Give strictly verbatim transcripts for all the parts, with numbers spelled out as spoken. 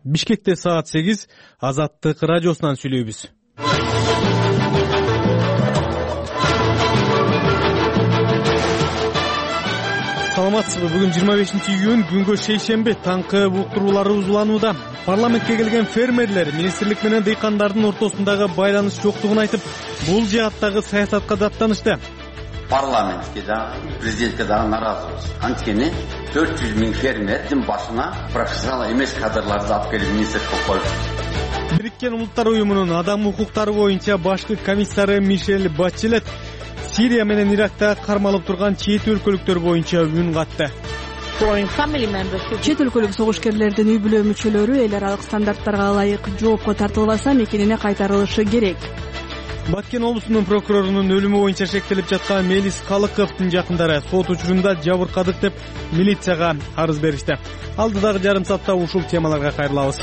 Бишкекте саат сегиз, Азаттык радиосунан сүйлөйбүз. Саламатсызбы? Бүгүн жыйырма бешинчи июнь, күнгө шейшемби, таңкы уктурууларыбыз уланууда. Парламентке келген фермерлер министрлик менен дыйкандардын ортосундагы байланыш жоктугун айтып, бул жааттагы саясатка даттанышты. Парламентке да, президентке да наразыбыз. Анткени төрт жүз миң фермердин башына профессионал эмес кадрларды алып келип министр кылып коюп. Бириккен Улуттар уюмунун адам укуктары боюнча башкы комиссары Мишель Бачелет Сирия менен Иракта кармалып турган чет өлкөлүктөр боюнча үн катты. Чет өлкөлүк согушкерлердин үй бүлө мүчөлөрү эл аралык стандарттарга ылайык жоопко тартылбаса мекенине кайтарылышы керек. Баткен облусунун прокурорунун өлүмү боюнча шектелип жаткан Мелис Калыковдун жакындары сот учурунда жабыркадык деп милицияга арыз беришти. Алдыдагы жарым саатта ушул темаларга кайрылабыз.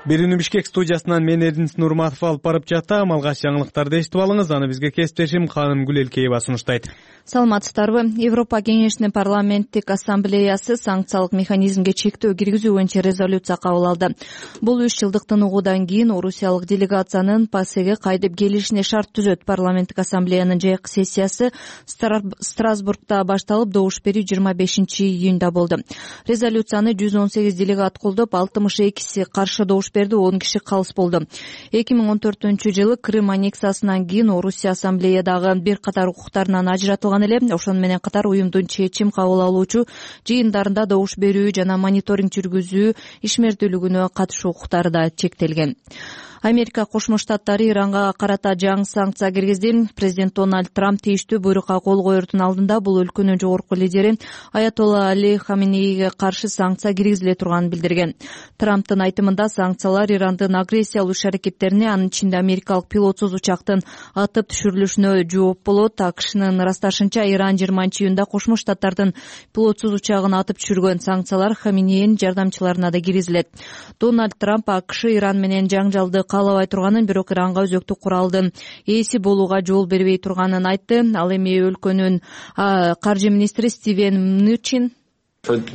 Берүүнү Бишкек студиясынан мен Эрдинис Нурматов алып барып жатам. Алгач жаңылыктарды эшитип алыңыз, аны бизге кесиптешим Ханым Гүлелкеева сунуштайт. Саламатсыздарбы? Европа Кеңешинин парламенттик ассамблеясы санкциялык механизмге чектөө киргизүү боюнча резолюция кабыл алды. Бул үч жылдык тынугуудан кийин Орусиялык делегациянын ПАСЕге кайтып келишине шарт түзөт. Парламенттик ассамблеянын жайкы сессиясы Страсбургда башталып, добуш берүү жыйырма бешинчи июнда болду. Резолюцияны жүз он сегиз делегат колдоп, алтымыш экиси каршы добуш берди, он киши калыс болду. эки миң он төртүнчү жылы Крым аннексиясынан кийин Орусия ассамблеядагы бир катар укуктарынан ажыратылган эле. Ошону менен катар уюмдун чечим кабыл алуучу жыйындарында добуш берүү жана мониторинг жүргүзүү ишмердүүлүгүнө катышуу укуктары да чектелген. Америка Кошмо Штаттары Иранга карата жаңы санкция киргизди. Президент Дональд Трамп тийиштүү буйрукка кол коердун алдында бул өлкөнүн жогорку лидери Аятолла Али Хаменейге каршы санкция киргизиле турганын билдирген. Трамптын айтымында санкциялар Ирандын агрессиялуу иш-аракеттерине, анын ичинде америкалык пилотсуз учактын атып түшүрүлүшүнө жооп болот. АКШнын ырасташынча, Иран жыйырманчы июнда Кошмо Штаттардын пилотсуз учагын атып түшүргөн. Санкциялар Хаменейнин жардамчыларына да киргизилет. Дональд Трамп АКШ Иран менен жаңжалды каалабай турганын, бирок Иранга өзөктүк куралдын ээси болууга жол бербей турганын айтты. Ал эми өлкөнүн каржы министри Стивен Мнучин төрт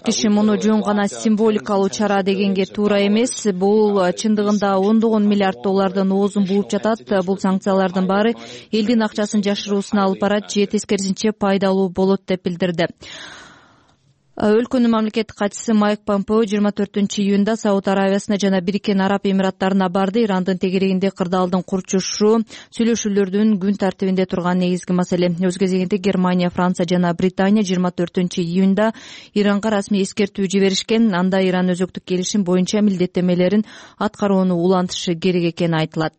киши муну жөн гана символикалуу чара дегенге туура эмес. Бул чындыгында ондогон миллиард доллардын оозун бууп жатат. Бул санкциялардын баары элдин акчасын жашыруусуна алып барат же тескерисинче пайдалуу болот деп билдирди. Өлкөнүн мамлекеттик катчысы Майк Помпео жыйырма төртүнчү июнда Сауд Аравиясына жана Бириккен Араб Эмираттарына барды. Ирандын тегерегинде кырдаалдын курчушу сүйлөшүүлөрдүн күн тартибинде турган негизги маселе. Өз кезегинде Германия, Франция жана Британия жыйырма төртүнчү июнда Иранга расмий эскертүү жиберишкен. Анда Иран өзөктүк келишим боюнча милдеттемелерин аткарууну улантышы керек экени айтылат.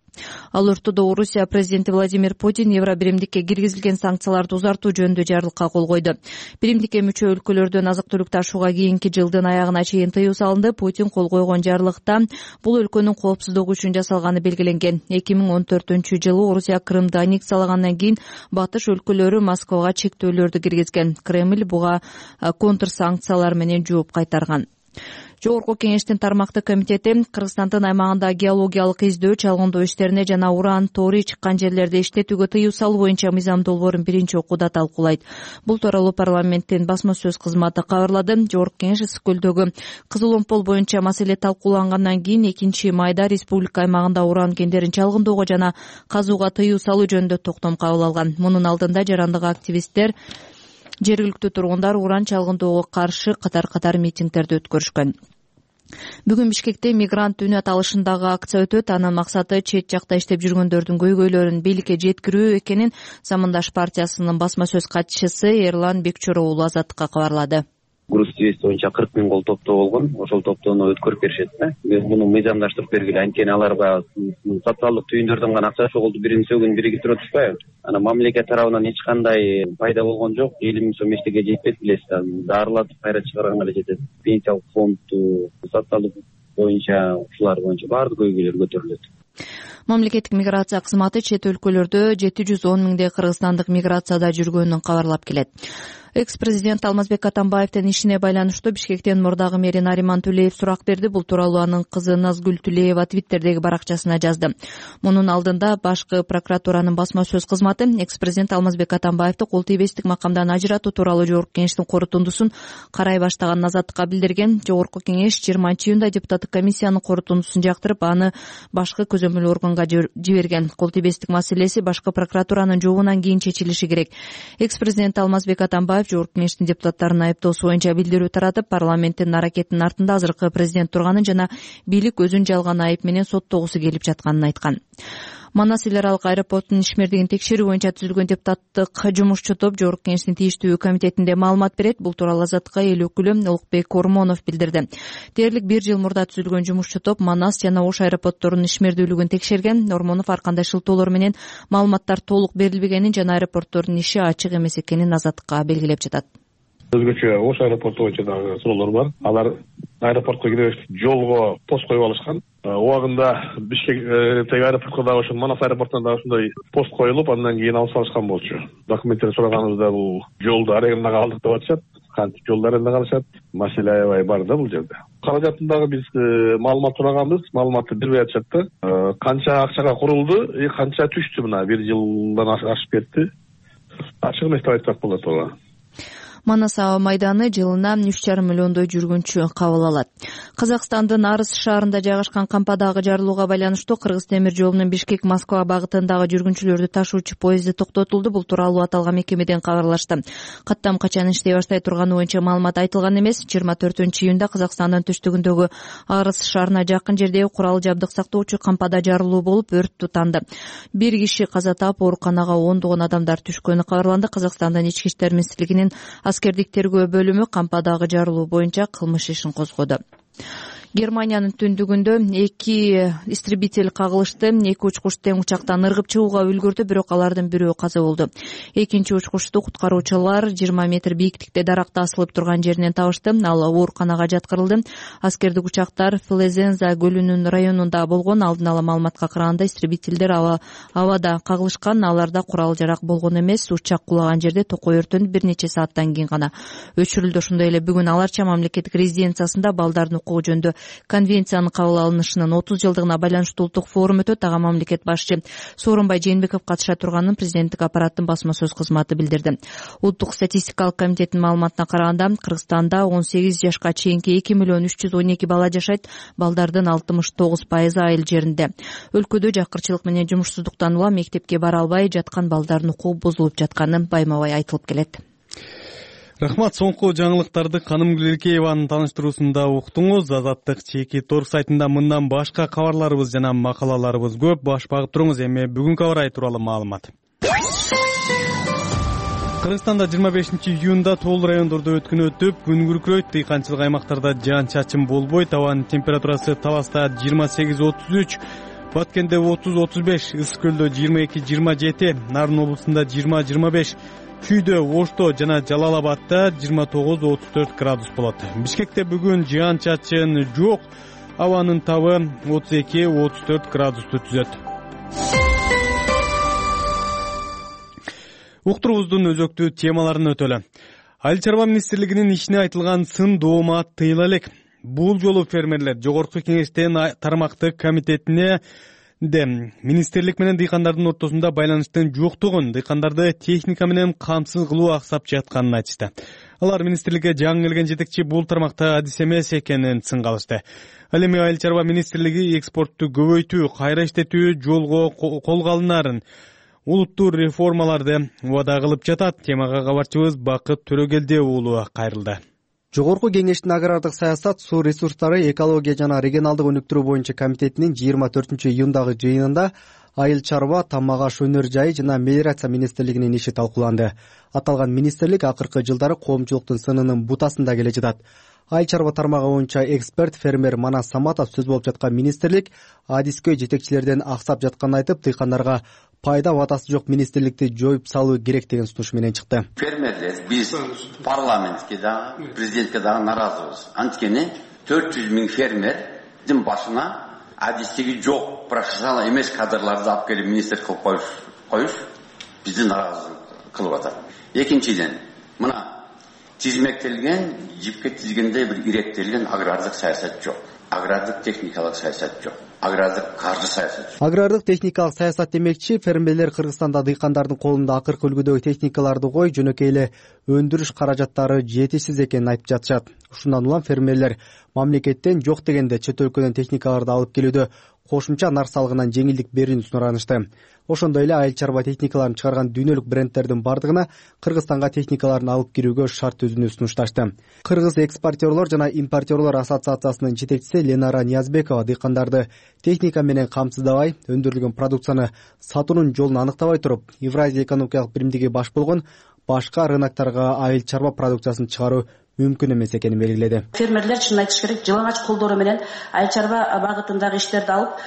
Ал ортодо Орусия президенти Владимир Путин Евро биримдикке киргизилген санкцияларды узартуу жөнүндө жарлыкка кол койду. Биримдикке мүчө өлкөлөрдөн азык-түлүк ташууга кийинки жылдын аягына чейин тыюу салынды. Путин кол койгон жарлыкта бул өлкөнүн коопсуздугу үчүн жасалганы белгиленген. эки миң он төртүнчү жылы Орусия Крымды аннексиялагандан кийин батыш өлкөлөрү Москвага чектөөлөрдү киргизген. Кремль буга контр санкциялар менен жооп кайтарган. Жогорку кеңештин тармактык комитети Кыргызстандын аймагында геологиялык издөө, чалгындоо иштерине жана уран тори чыккан жерлерди иштетүүгө тыюу салуу боюнча мыйзам долбоорун биринчи окууда талкуулайт. Бул тууралуу парламенттин басма сөз кызматы кабарлады. Жогорку кеңеш Ысык көлдөгү Кызыл Омпол боюнча маселе талкуулангандан кийин экинчи майда республика аймагында уран кендерин чалгындоого жана казууга тыюу салуу жөнүндө токтом кабыл алган. Мунун алдында жарандык активисттер, жергиликтүү тургундар уран чалгындоого каршы катар-катар митингдерди өткөрүшкөн. Бүгүн Бишкекте мигрант үнү аталышындагы акция өтөт. Анын максаты чет жакта иштеп жүргөндөрдүн көйгөйлөрүн бийликке жеткирүү экенин Замандаш партиясынын басма сөз катчысы Эрлан Бекчоров уулу Азаттыкка кабарлады. груз твист боюнча кырк миң кол топтоо болгон. Ошол топтоону өткөрүп беришет да. Биз муну мыйзамдаштырып бергиле. Анткени аларга социалдык түйүндөрдөн гана акча чогулду биринчи күн биригип атышпайбы? Ана мамлекет тарабынан эч кандай пайда болгон жок. элүү миң сом эчтеке жетпейт билесиз. Дарылатып кайра чыгарганга эле жетет. Пенсиялык фонду, социалдык боюнча ушулар боюнча баардык көйгөйлөр көтөрүлөт. Мамлекеттик миграция кызматы чет өлкөлөрдө жети жүз он миңдей кыргызстандык миграцияда жүргөнүн кабарлап келет. Экс-президент Алмазбек Атамбаевдин ишине байланыштуу Бишкектен мурдагы мэри Нариман Түлеев сурак берди. Бул тууралуу анын кызы Назгүл Түлеева Твиттердеги баракчасына жазды. Мунун алдында башкы прокуратуранын басма сөз кызматы экс-президент Алмазбек Атамбаевди кол тийбестик макамдан ажыратуу тууралуу жогорку кеңештин корутундусун карай баштаган Азаттыкка билдирген. Жогорку кеңеш жыйырманчы июнда депутаттык комиссиянын корутундусун жактырып, аны башкы көзөмөл органга жиберген. Кол тийбестик маселеси башкы прокуратуранын жообунан кийин чечилиши керек. Экс-президент Алмазбек Атамбаев жогорку кеңештин депутаттарынын айыптоосу боюнча билдирүү таратып, парламенттин аракетинин артында азыркы президент турганын жана бийлик өзүн жалган айып менен соттогусу келип жатканын айткан. Манас эл аралык аэропортунун ишмердигин текшерүү боюнча түзүлгөн депутаттык жумушчу топ жогорку кеңештин тийиштүү комитетинде маалымат берет. Бул тууралуу Азаттыкка эл өкүлү Улукбек Ормонов билдирди. Дээрлик бир жыл мурда түзүлгөн жумушчу топ Манас жана Ош аэропортторунун ишмердүүлүгүн текшерген. Ормонов ар кандай шылтоолор менен маалыматтар толук берилбегенин жана аэропорттордун иши ачык эмес экенин Азаттыкка белгилеп жатат. Өзгөчө Ош аэропорту боюнча дагы суроолор бар. Алар аэропортко кире жолго пост коюп алышкан. Убагында Бишкектеги аэропортко дагы ошо Манас аэропортуна дагы ушундай пост коюлуп, андан кийин алып салышкан болчу. Документтерди сураганыбызда бул жолду арендага алдык деп атышат. Кантип жолду арендага алышат? Маселе аябай бар да бул жерде. Каражатын дагы биз маалымат сураганбыз, маалыматты бербей атышат да. Канча акчага курулду, канча түштү мына бир жылдан ашып кетти. Ачык эмес деп айтсак болот ооба. Манас аба майданы жылына үч жарым миллиондой жүргүнчү кабыл алат. Казакстандын Арыс шаарында жайгашкан кампадагы жарылууга байланыштуу Кыргыз темир жолунун Бишкек Москва багытындагы жүргүнчүлөрдү ташуучу поезди токтотулду. Бул тууралуу аталган мекемеден кабарлашты. Каттам качан иштей баштай турганы боюнча маалымат айтылган эмес. жыйырма төртүнчү июнда Казакстандын түштүгүндөгү Арыс шаарына жакын жердеги курал жабдык сактоочу кампада жарылуу болуп, өрт тутанды. Бир киши каза таап, ооруканага ондогон адамдар түшкөнү кабарланды. Казакстандын ички иштер министрлигинин аскердик тергөө бөлүмү кампадагы жарылуу боюнча кылмыш ишин козгоду. Германиянын түндүгүндө эки истребитель кагылышты. Эки учкуч тең учактан ыргып чыгууга үлгүрдү, бирок алардын бирөө каза болду. Экинчи учкучту куткаруучулар жыйырма метр бийиктикте даракта асылып турган жеринен табышты. Ал ооруканага жаткырылды. Аскердик учактар Флезенза көлүнүн районунда болгон. Алдын ала маалыматка караганда истребительдер аба абада кагылышкан. Аларда курал жарак болгон эмес. Учак кулаган жерде токой өртөнүп бир нече сааттан кийин гана өчүрүлдү. Ошондой эле бүгүн Аларча мамлекеттик резиденциясында балдардын укугу жөнүндө конвенциянын кабыл алынышынын отуз жылдыгына байланыштуу улуттук форум өтөт. Ага мамлекет башчы Сооронбай Жээнбеков катыша турганын президенттик аппараттын басма сөз кызматы билдирди. Улуттук статистикалык комитеттин маалыматына караганда Кыргызстанда он сегиз жашка чейинки эки миллион үч жүз он эки бала жашайт. Балдардын алтымыш тогуз пайызы айыл жеринде. Өлкөдө жакырчылык менен жумушсуздуктан улам мектепке бара албай жаткан балдардын укугу бузулуп жатканы байма-бай айтылып келет. Рахмат. Соңку жаңылыктарды Каным Гүлеркееванын тааныштыруусунда уктуңуз. Азаттык чеки тор сайтында мындан башка кабарларыбыз жана макалаларыбыз көп. Баш багып туруңуз. Эми бүгүнкү аба ырайы тууралуу маалымат. Кыргызстанда жыйырма бешинчи июнда тоол райондордо өткөн өтүп, күн күркүрөйт. Дыйканчылык аймактарда жаан-чачын болбойт. Абанын температурасы Таласта жыйырма сегиз отуз үч, Баткенде отуз отуз беш, Ысык көлдө жыйырма эки жыйырма жети, Нарын облусунда жыйырма жыйырма беш, Чүйдө, Ошто жана Жалал Абадта жыйырма тогуз отуз төрт градус болот. Бишкекте бүгүн жаан-чачын жок. Абанын табы отуз эки отуз төрт градусту түзөт. Уктурубуздун өзөктүү темаларын өтөлө. Айыл чарба министрлигинин ишине айтылган сын доомат тыйыла элек. Бул жолу фермерлер жогорку кеңештин тармактык комитетине министрлик менен дыйкандардын ортосунда байланыштын жоктугун, дыйкандарды техника менен камсыз кылуу аксап жатканын айтышты. Алар министрликке жаңы келген жетекчи бул тармакта адис эмес экенин сынгалышты. Ал эми айыл чарба министрлиги экспортту көбөйтүү, кайра иштетүү жолго колго алынарын, улуттуу реформаларды убада кылып жатат. Темага кабарчыбыз Бакыт Төрөгелди уулу кайрылды. Жогорку кеңештин агрардык саясат, суу ресурстары, экология жана регионалдык өнүктүрүү боюнча комитетинин жыйырма төртүнчү июндагы жыйынында айыл чарба, тамак аш өнөр жайы жана мелиорация министрлигинин иши талкууланды. Аталган министрлик акыркы жылдары коомчулуктун сынынын бутасында келе жатат. Айыл чарба тармагы боюнча эксперт фермер Манас Саматов сөз болуп жаткан министрлик адискөй жетекчилерден аксап жатканын айтып, дыйкандарга пайда ватасы жок министрликти жоюп салуу керек деген сунуш менен чыкты. Фермерлер биз парламентке да, президентке да наразыбыз. Анткени төрт жүз миң фермердин башына адистиги жок, профессионал эмес кадрларды алып келип министр кылып коюш, коюш бизди наразы кылып атат. Экинчиден, мына тизмектелген, жипке тизгендей бир иреттелген агрардык саясат жок. Агрардык техникалык саясат жок. Агрардык каржы саясат жок. Агрардык техникалык саясат демекчи, фермерлер Кыргызстанда дыйкандардын колунда акыркы үлгүдөгү техникаларды кой, жөнөкөй эле өндүрүш каражаттары жетишсиз экенин айтып жатышат. Ушундан улам фермерлер мамлекеттен жок дегенде чет өлкөдөн техникаларды алып келүүдө кошумча нар салыгынан жеңилдик берүүнү сунаранышты. Ошондой эле айыл чарба техникаларын чыгарган дүйнөлүк брендтердин бардыгына Кыргызстанга техникаларын алып кирүүгө шарт түзүүнү сунушташты. Кыргыз экспортерлор жана импортерлор ассоциациясынын жетекчиси Ленара Ниязбекова дыйкандарды техника менен камсыздабай, өндүрүлгөн продукцияны сатуунун жолун аныктабай туруп, Евразия экономикалык биримдиги баш болгон башка рыноктарга айыл чарба продукциясын чыгаруу мүмкүн эмес экенин белгиледи. Фермерлер чынын айтыш керек, жылаңач колдору менен айыл чарба багытындагы иштерди алып,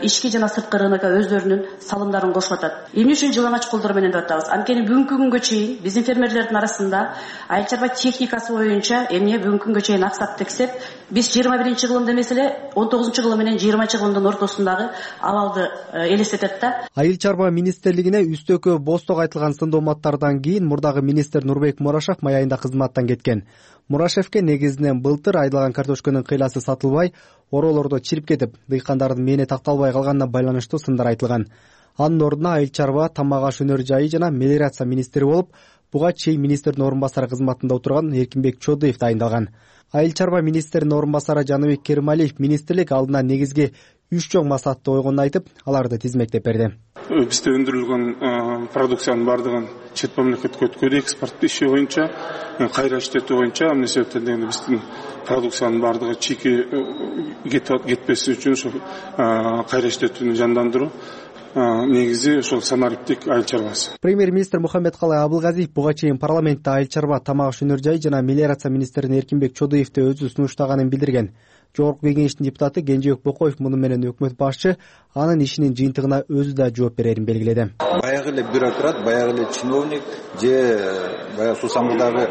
ички жана сырткы рынокко өздөрүнүн салымдарын кошуп атат. Эмне үчүн жылаңач колдор менен деп атабыз? Анткени бүгүнкү күнгө чейин биздин фермерлердин арасында айыл чарба техникасы боюнча эмне бүгүнкү күнгө чейин аксап тексеп, биз жыйырма биринчи кылымда эмес эле он тогузунчу кылым менен жыйырманчы кылымдын ортосундагы абалды элестетет да. Айыл чарба министрлигине үстөккө босток айтылган сындооматтардан кийин мурдагы министр Нурбек Мурашев май айында кызматтан кеткен. Мурашевке негизинен былтыр айдалган картошканын кыйласы сатылбай, ороолордо чирип кетип, дыйкандардын мээне такталбай калганына байланыштуу сындар айтылган. Анын ордуна айыл чарба, тамак аш өнөр жайы жана мелиорация министри болуп, буга чейин министрдин орун басары кызматында отурган Эркинбек Чодуев дайындалган. Айыл чарба министринин орун басары Жаныбек Керималиев министрлик алдына негизги үч чоң максатты койгонун айтып, аларды тизмектеп берди. Бизде өндүрүлгөн продукциянын бардыгын чет мамлекетке өткөрүү, экспорт иши боюнча, кайра иштетүү боюнча, эмне себептен дегенде биздин продукциянын бардыгы чийки кетпеси үчүн ошо кайра иштетүүнү жандандыруу негизи ошол санариптик айыл чарбасы. Премьер-министр Мухаммедкалый Абылгазиев буга чейин парламентте айыл чарба, тамак аш өнөр жайы жана мелиорация министри Эркинбек Чодуевди өзү сунуштаганын билдирген. Жогорку кеңештин депутаты Кенжебек Бокоев муну менен өкмөт башчы анын ишинин жыйынтыгына өзү да жооп берерин белгиледи. Баягы эле бюрократ, баягы эле чиновник же баягы сусамдагы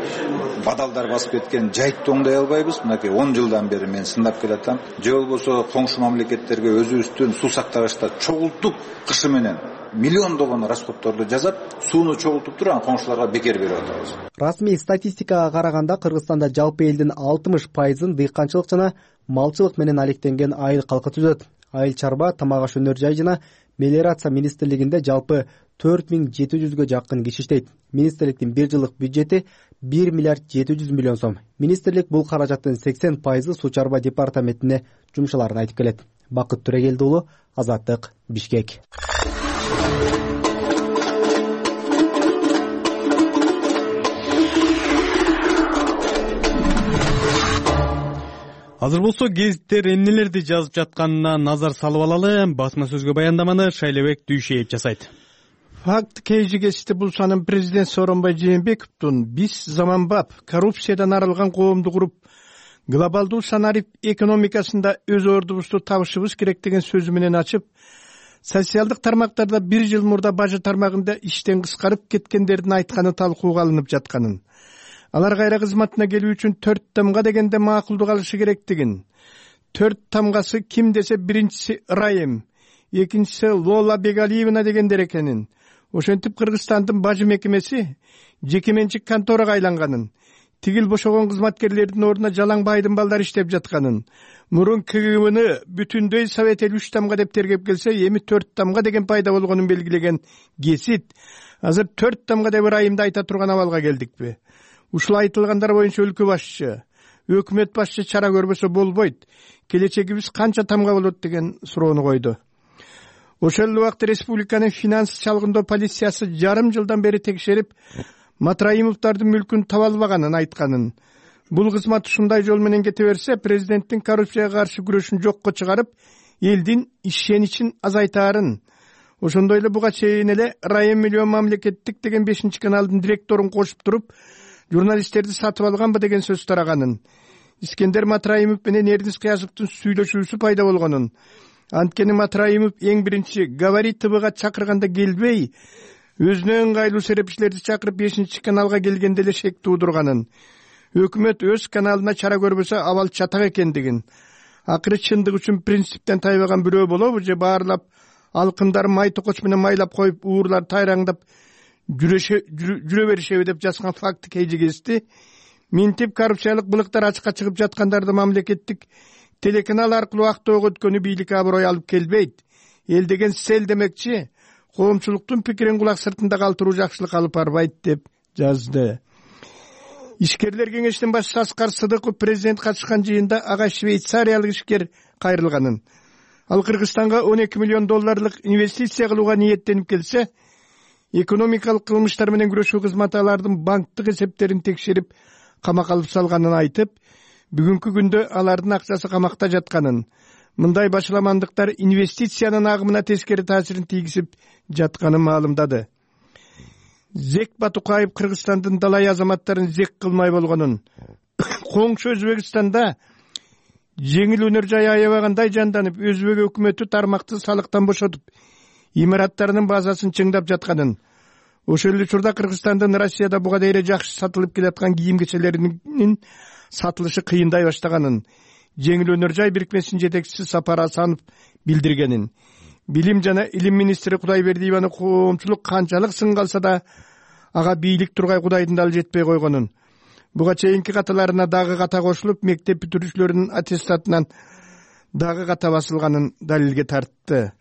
бадалдар басып кеткен жайтты оңдой албайбыз. Мынакей он жылдан бери мен сындап келатам. Же болбосо коңшу мамлекеттерге өзүбүздүн суу сактагычта чогултуп кышы менен миллиондогон расходторду жасап, сууну чогултуп туруп, анан коңшуларга бекер берип атабыз. Расмий статистикага караганда Кыргызстанда жалпы элдин алтымыш пайызын дыйканчылык жана малчылык менен алектенген айыл калкы түзөт. Айыл чарба, тамак аш өнөр жайы жана мелиорация министрлигинде жалпы төрт миң жети жүзгө жакын киши иштейт. Министрликтин бир жылдык бюджети бир миллиард жети жүз миллион сом. Министрлик бул каражаттын сексен пайызы суу чарба департаментине жумшаларын айтып келет. Бакыт Төрегелди уулу, Азаттык, Бишкек. Азыр болсо гезиттер эмнелерди жазып жатканына назар салып алалы. Басма сөзгө баяндаманы Шайлебек Дүйшеев жасайт. Факт кейжигести булсанын президент Сооронбай Жээнбековдун биз заманбап коррупциядан арылган коомду куруп, глобалдуу санарип экономикасында өз ордубузду табышыбыз керек деген сөзү менен ачып, социалдык тармактарда бир жыл мурда бажы тармагында иштен кыскарып кеткендердин айтканы талкууга алынып жатканын, алар кайра кызматына келүү үчүн төрт тамга дегенде макулдук алышы керектигин, төрт тамгасы ким десе биринчиси Райым, экинчиси Лола Бегалиевна дегендер экенин, ошентип Кыргызстандын бажы мекемеси жеке менчик конторага айланганын, тигил бошогон кызматкерлердин ордуна жалаң байдын балдары иштеп жатканын, мурун КГБны бүтүндөй совет эл үч тамга деп тергеп келсе, эми төрт тамга деген пайда болгонун белгилеген гесит азыр төрт тамга деп Райымды айта турган абалга келдикпи? Ушул айтылгандар боюнча өлкө башчы, өкмөт башчы чара көрбөсө болбойт. Келечегибиз канча тамга болот деген суроону койду. Ошол эле убакта республиканын финанс чалгындоо полициясы жарым жылдан бери текшерип, Матраимовдардын мүлкүн таба албаганын айтканын. Бул кызмат ушундай жол менен кете берсе, президенттин коррупцияга каршы күрөшүн жокко чыгарып, элдин ишеничин азайтаарын. Ошондой эле буга чейин эле Райым миллион мамлекеттик деген бешинчи каналдын директорун кошуп туруп, журналисттерди сатып алганбы деген сөз тараганын. Искендер Матраимов менен Эрдис Кыязовдун сүйлөшүүсү пайда болгонун. Анткени Матраимов эң биринчи Говори ТВга чакырганда келбей, өзүнө ыңгайлуу серепчилерди чакырып бешинчи каналга келгенде эле шек туудурганын. Өкмөт өз каналына чара көрбөсө абал чатак экендигин. Акыры чындык үчүн принциптен тайбаган бирөө болобу же баарлап алкымдары май токоч менен майлап коюп, уурлар тайраңдап жүрө беришеби деп жазган факт кейжигести минтип коррупциялык былыктар ачыкка чыгып жаткандарды мамлекеттик телеканал аркылуу актоого өткөнү бийлик аброй алып келбейт. Эл деген сел демекчи, коомчулуктун пикирин кулак сыртында калтыруу жакшылык алып барбайт деп жазды. Ишкерлер кеңешинин башчысы Аскар Сыдыков президент катышкан жыйында ага швейцариялык ишкер кайрылганын, ал Кыргызстанга он эки миллион долларлык инвестиция кылууга ниеттенип келсе, экономикалык кылмыштар менен күрөшүү кызматы алардын банктык эсептерин текшерип камакка алып салганын айтып, бүгүнкү күндө алардын акчасы камакта жатканын, мындай башаламандыктар инвестициянын агымына тескери таасирин тийгизип жатканын маалымдады. Зек Батукаев Кыргызстандын далай азаматтарын зек кылмай болгонун, коңшу Өзбекстанда жеңил өнөр жай аябагандай жанданып, Өзбек өкмөтү тармакты салыктан бошотуп, имараттарынын базасын чыңдап жатканын, ошол эле учурда Кыргызстандын Россияда буга дейре жакшы сатылып келаткан кийим кечелеринин сатылышы кыйындай баштаганын жеңил өнөр жай бирикмесинин жетекчиси Сапар Асанов билдиргенин, билим жана илим министри Кудайбердиеваны коомчулук канчалык сынга алса да ага бийлик тургай Кудайдын дал жетпей койгонун, буга чейинки каталарына дагы ката кошулуп, мектеп бүтүрүүчүлөрдүн аттестатынан дагы ката басылганын далилге тартты.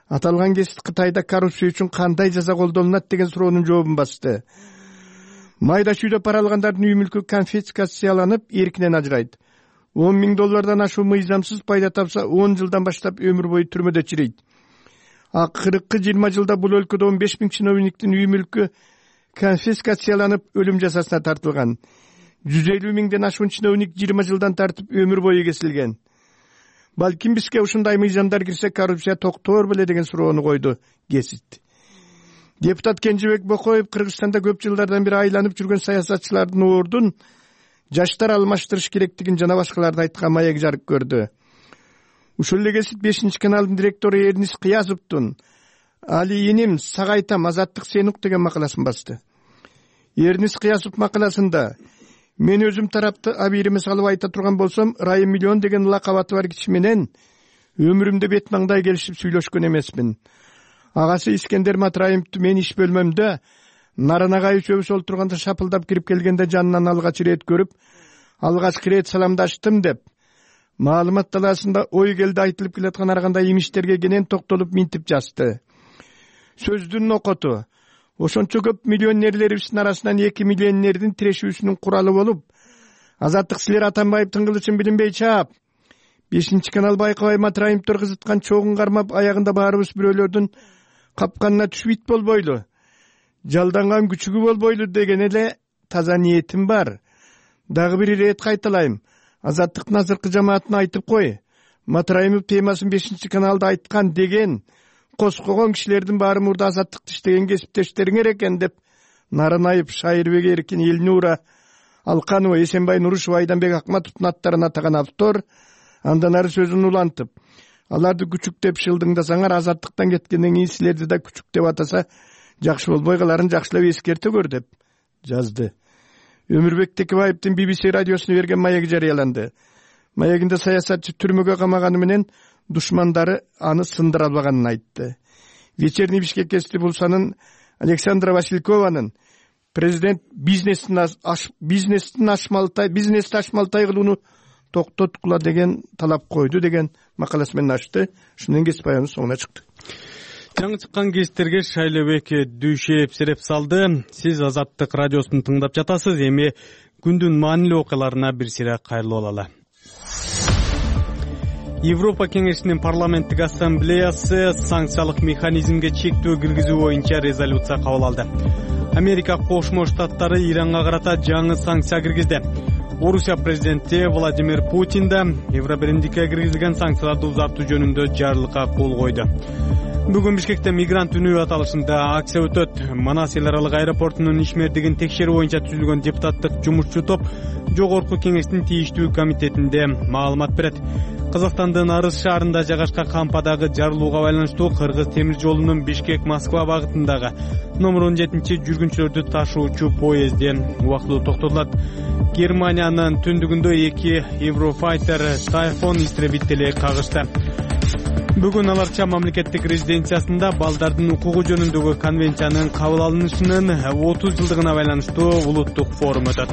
Аталган кесип Кытайда коррупция үчүн кандай жаза колдонулат деген суроонун жообун басты. Майда чүйдө пара алгандардын үй мүлкү конфискацияланып, эркинен ажырайт. он миң доллардан ашуу мыйзамсыз пайда тапса, он жылдан баштап өмүр бою түрмөдө чирейт. Акыркы жыйырма жылда бул өлкөдө он беш миң чиновниктин үй мүлкү конфискацияланып, өлүм жазасына тартылган. жүз элүү миңден ашуун чиновник жыйырма жылдан тартып өмүр бою кесилген. Балким бизге ушундай мыйзамдар кирсе, коррупция токтоор беле деген суроону койду Гесит. Депутат Кенжебек Бокоев Кыргызстанда көп жылдардан бери айланып жүргөн саясатчылардын ордун жаштар алмаштырыш керектигин жана башкаларды айткан маек жарык көрдү. Ушул эле Гесит бешинчи каналдын директору Эрнис Кыязовдун Али иним сагайтам азаттык сенук деген макаласын басты. Эрнис Кыязов макаласында: мен өзүм тарапты абийириме салып айта турган болсом, Райым Миллион деген лакабаты бар киши менен өмүрүмдө бет маңдай келишип сүйлөшкөн эмесмин. Агасы Искендер Матраимовду мен иш бөлмөмдө Наранагай үчөөбүз олтурганда шапылдап кирип келгенде жанынан алгач ирет көрүп, алгачкы ирет саламдаштым деп, маалымат талаасында ой келди айтылып келаткан ар кандай имиштерге кенен токтолуп минтип жазды. Сөздүн окоту: ошончо көп миллионерлерибиздин арасынан эки миллионердин тирешүүсүнүн куралы болуп, азаттык силер Атамбаевдин кылычын билинбей чаап, бешинчи канал байкабай Матраимовдор кызыткан чогун кармап, аягында баарыбыз бирөөлөрдүн капканына түшүп болбойлу, жалданган күчүгү болбойлу деген эле таза ниетим бар. Дагы бир ирет кайталайм, азаттыктын азыркы жамаатына айтып кой, Матраимов темасын бешинчи каналда айткан деген коскогон кишилердин баары мурда азаттыкты иштеген кесиптештериңер экен деп, Наранаев, Шайырбек Эркин, Элнура Алканова, Эсенбай Нурушева, Айданбек Акматовдун аттарын атаган автор андан ары сөзүн улантып: аларды күчүк деп шылдыңдасаңар, азаттыктан кеткенден кийин силерди да күчүк деп атаса жакшы болбой каларын жакшылап эскерте көр деп жазды. Өмүрбек Текебаевдин би би си радиосуна берген маеги жарыяланды. Маегинде саясатчы түрмөгө камаганы менен душмандары аны сындыра албаганын айтты. Вечерний Бишкек гезити Булсанын Александра Василькованын президент бизнестин бизнестин ашмалтай бизнести ашмалтай кылууну токтоткула деген талап койду деген макаласы менен ачты. Ушундан кесип аягынын соңуна чыкты. Жаңы чыккан гезиттерге Шайлебек Дүйшеев сереп салды. Сиз Азаттык радиосун тыңдап жатасыз. Эми күндүн маанилүү окуяларына бир сыйра кайрылып алалы. Европа кеңешинин парламенттик ассамблеясы санкциялык механизмге чектөө киргизүү боюнча резолюция кабыл алды. Америка Кошмо Штаттары Иранга карата жаңы санкция киргизди. Орусия президенти Владимир Путин да Евробиримдикке киргизилген санкцияларды узартуу жөнүндө жарлыкка кол койду. Бүгүн Бишкекте мигрант үнү аталышында акция өтөт. Манас эл аралык аэропортунун ишмердигин текшерүү боюнча түзүлгөн депутаттык жумушчу топ жогорку кеңештин тийиштүү комитетинде маалымат берет. Казакстандын Арыс шаарында жайгашкан кампадагы жарылууга байланыштуу Кыргыз темир жолунун Бишкек-Москва багытындагы номер он жетинчи жүргүнчүлөрдү ташуучу поезди убактылуу токтотулат. Германиянын түндүгүндө эки Еврофайтер Тайфон истребители кагышты. Бүгүн аларча мамлекеттик резиденциясында балдардын укугу жөнүндөгү конвенциянын кабыл алынышынын отуз жылдыгына байланыштуу улуттук форум өтөт.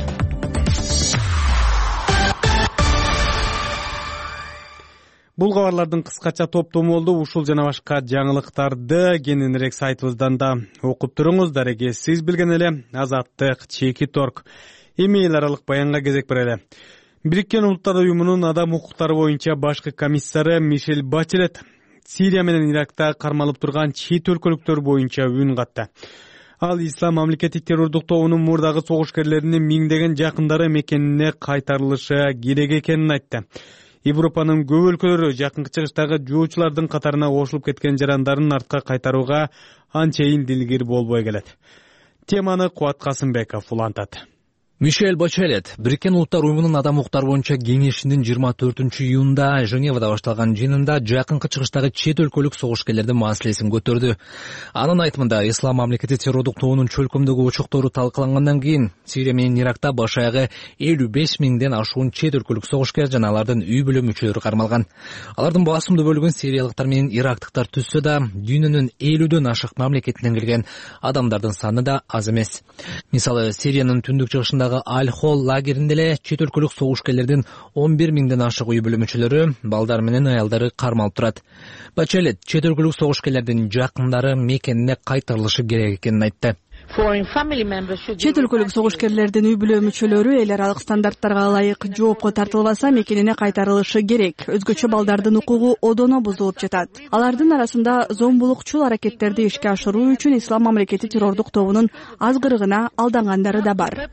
Бул кабарлардын кыскача топтому болду. Ушул жана башка жаңылыктарды кененирээк сайтыбыздан да окуп туруңуздар. Эге сиз билген эле Азаттык, Чеки торг. Эми эл аралык баянга кезек берели. Бириккен Улуттар уюмунун адам укуктары боюнча башкы комиссары Мишель Бачелет Сирия менен Иракта кармалып турган чет өлкөлүктөр боюнча үн катты. Ал Ислам мамлекеттик террордук тобунун мурдагы согушкерлеринин миңдеген жакындары мекенине кайтарылышы керек экенин айтты. Европанын көп өлкөлөрү жакынкы чыгыштагы жоочулардын катарына кошулуп кеткен жарандарын артка кайтарууга анчейин дилгир болбой келет. Теманы Кубат Касымбеков улантат. Мишель Бачелет Бириккен Улуттар уюмунун адам укуктары боюнча кеңешинин жыйырма төртүнчү июнда Женевада башталган жыйынында жакынкы чыгыштагы чет өлкөлүк согушкерлердин маселесин көтөрдү. Анын айтымында Ислам мамлекети террордук тобунун чөлкөмдөгү учуктуру талкалангандан кийин Сирия менен Иракта баш аягы элүү беш миңден ашуун чет өлкөлүк согушкер жана алардын үй бүлө мүчөлөрү кармалган. Алардын басымдуу бөлүгүн сириялыктар менен ирактыктар түзсө да, дүйнөнүн элүүдөн ашык мамлекетинен келген адамдардын саны да аз эмес. Мисалы, Сириянын түндүк чыгышында Аль-Хол лагеринде эле чет өлкөлүк согушкерлердин он бир миңден ашык үй бүлө мүчөлөрү, балдар менен аялдары кармалып турат. Бачелет чет өлкөлүк согушкерлердин жакындары мекенине кайтарылышы керек экенин айтты. Чет өлкөлүк согушкерлердин үй бүлө мүчөлөрү эл аралык стандарттарга ылайык жоопко тартылбаса мекенине кайтарылышы керек. Өзгөчө балдардын укугу одоно бузулуп жатат. Алардын арасында зомбулукчул аракеттерди ишке ашыруу үчүн Ислам мамлекети террордук тобунун азгырыгына алдангандары да бар.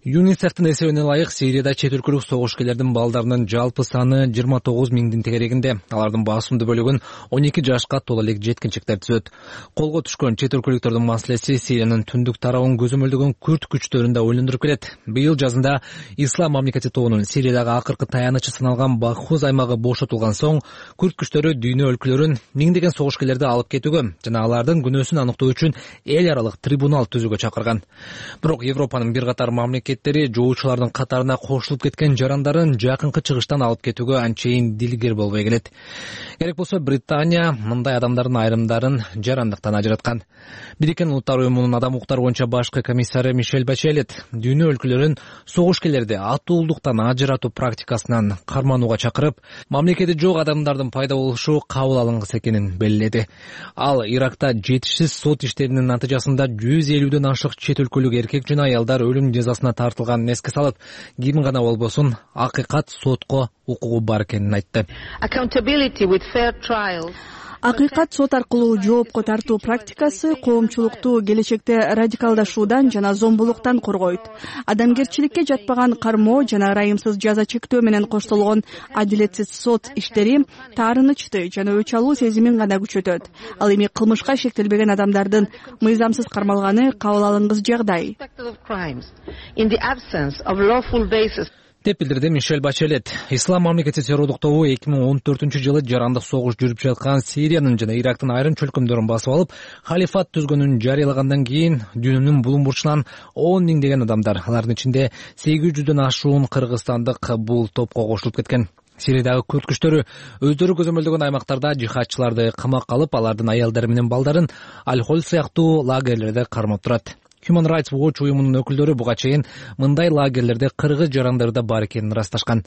ЮНИСЕФтин эсебине ылайык Сирияда чет өлкөлүк согушкерлердин балдарынын жалпы саны жыйырма тогуз миңдин тегерегинде. Алардын басымдуу бөлүгүн он эки жашка толо элек жеткинчектер түзөт. Колго түшкөн чет өлкөлүктөрдүн маселеси Сириянын түндүк тарабын көзөмөлдөгөн күрд күчтөрүн да ойлондуруп келет. Быйыл жазында Ислам мамлекети тобунун Сириядагы акыркы таянычы саналган Бахуз аймагы бошотулган соң, күрд күчтөрү дүйнө өлкөлөрүн миңдеген согушкерлерди алып кетүүгө жана алардын күнөөсүн аныктоо үчүн эл аралык трибунал түзүүгө чакырган. Бирок Европанын бир катар мамлекет жоочулардын катарына кошулуп кеткен жарандарын жакынкы чыгыштан алып кетүүгө анчейин дилгер болбой келет. Керек болсо Британия мындай адамдардын айрымдарын жарандыктан ажыраткан. Бириккен Улуттар уюмунун адам укуктары боюнча башкы комиссары Мишель Бачелет дүйнө өлкөлөрүн согушкерлерди атуулдуктан ажыратуу практикасынан карманууга чакырып, мамлекети жок адамдардын пайда болушу кабыл алынгыс экенин белгиледи. Ал Иракта жетишсиз сот иштеринин натыйжасында жүз элүүдөн ашык чет өлкөлүк эркек жана аялдар өлүм жазасына тартылганын эске салып, ким гана болбосун акыйкат сотко укугу бар экенин айтты. Акыйкат сот аркылуу жоопко тартуу практикасы коомчулукту келечекте радикалдашуудан жана зомбулуктан коргойт. Адамгерчиликке жатпаган кармоо жана ырайымсыз жаза чектөө менен коштолгон адилетсиз сот иштери таарынычты жана өч алуу сезимин гана күчөтөт. Ал эми кылмышка шектелбеген адамдардын мыйзамсыз кармалганы кабыл алынгыс жагдай деп билдирди Мишель Бачелет. Ислам мамлекети террордук тобу эки миң он төртүнчү жылы жарандык согуш жүрүп жаткан Сириянын жана Ирактын айрым чөлкөмдөрүн басып алып, халифат түзгөнүн жарыялагандан кийин дүйнөнүн булуң бурчунан он миңдеген адамдар, алардын ичинде сегиз жүздөн ашуун кыргызстандык бул топко кошулуп кеткен. Сириядагы күрд күчтөрү өздөрү көзөмөлдөгөн аймактарда жихадчыларды камакка алып, алардын аялдары менен балдарын Аль-Хол сыяктуу лагерлерде кармап турат. Human Rights Watch уюмунун өкүлдөрү буга чейин мындай лагерлерде кыргыз жарандары да бар экенин ырасташкан.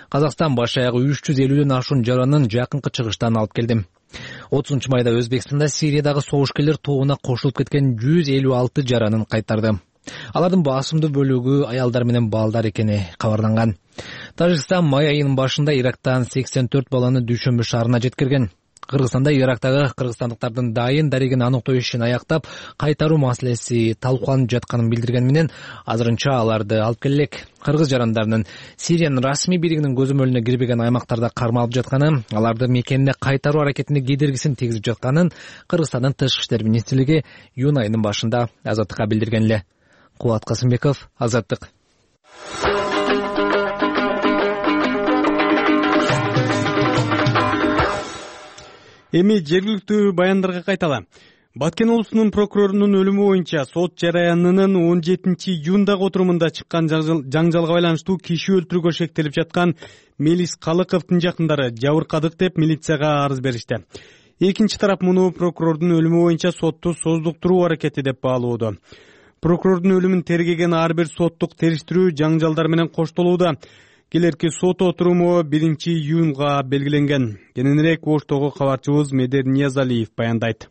Казакстан баш аягы үч жүз элүүдөн ашуун жаранын жакынкы чыгыштан алып келди. отузунчу майда Өзбекстанда Сириядагы согушкерлер тобуна кошулуп кеткен жүз элүү алты жаранын кайтарды. Алардын басымдуу бөлүгү аялдар менен балдар экени кабарланган. Тажикстан май айынын башында Ирактан сексен төрт баланы Дүйшөмбү шаарына жеткирген. Кыргызстанда Ирактагы кыргызстандыктардын дайын дарегин аныктоо ишин аяктап, кайтаруу маселеси талкууланып жатканын билдирген менен, азырынча аларды алып келелек. Кыргыз жарандарынын Сириянын расмий бийлигинин көзөмөлүнө кирбеген аймактарда кармалып жатканы, аларды мекенине кайтаруу аракетине кедергисин тийгизип жатканын Кыргызстандын тышкы иштер министрлиги июнь айынын башында Азаттыкка билдирген эле. Кубат Касымбеков, Азаттык. Эми жергиликтүү баяндарга кайталы. Баткен облусунун прокурорунун өлүмү боюнча сот жараянынын он жетинчи июндагы отурумунда чыккан жаңжалга байланыштуу киши өлтүрүүгө шектелип жаткан Мелис Калыковдун жакындары жабыркадык деп милицияга арыз беришти. Экинчи тарап муну прокурордун өлүмү боюнча сотту создуктуруу аракети деп баалоодо. Прокурордун өлүмүн тергеген ар бир соттук териштирүү жаңжалдар менен коштолууда. келерки сот отуруму биринчи июнга белгиленген. Кененирээк Оштогу кабарчыбыз Медер Ниязалиев баяндайт.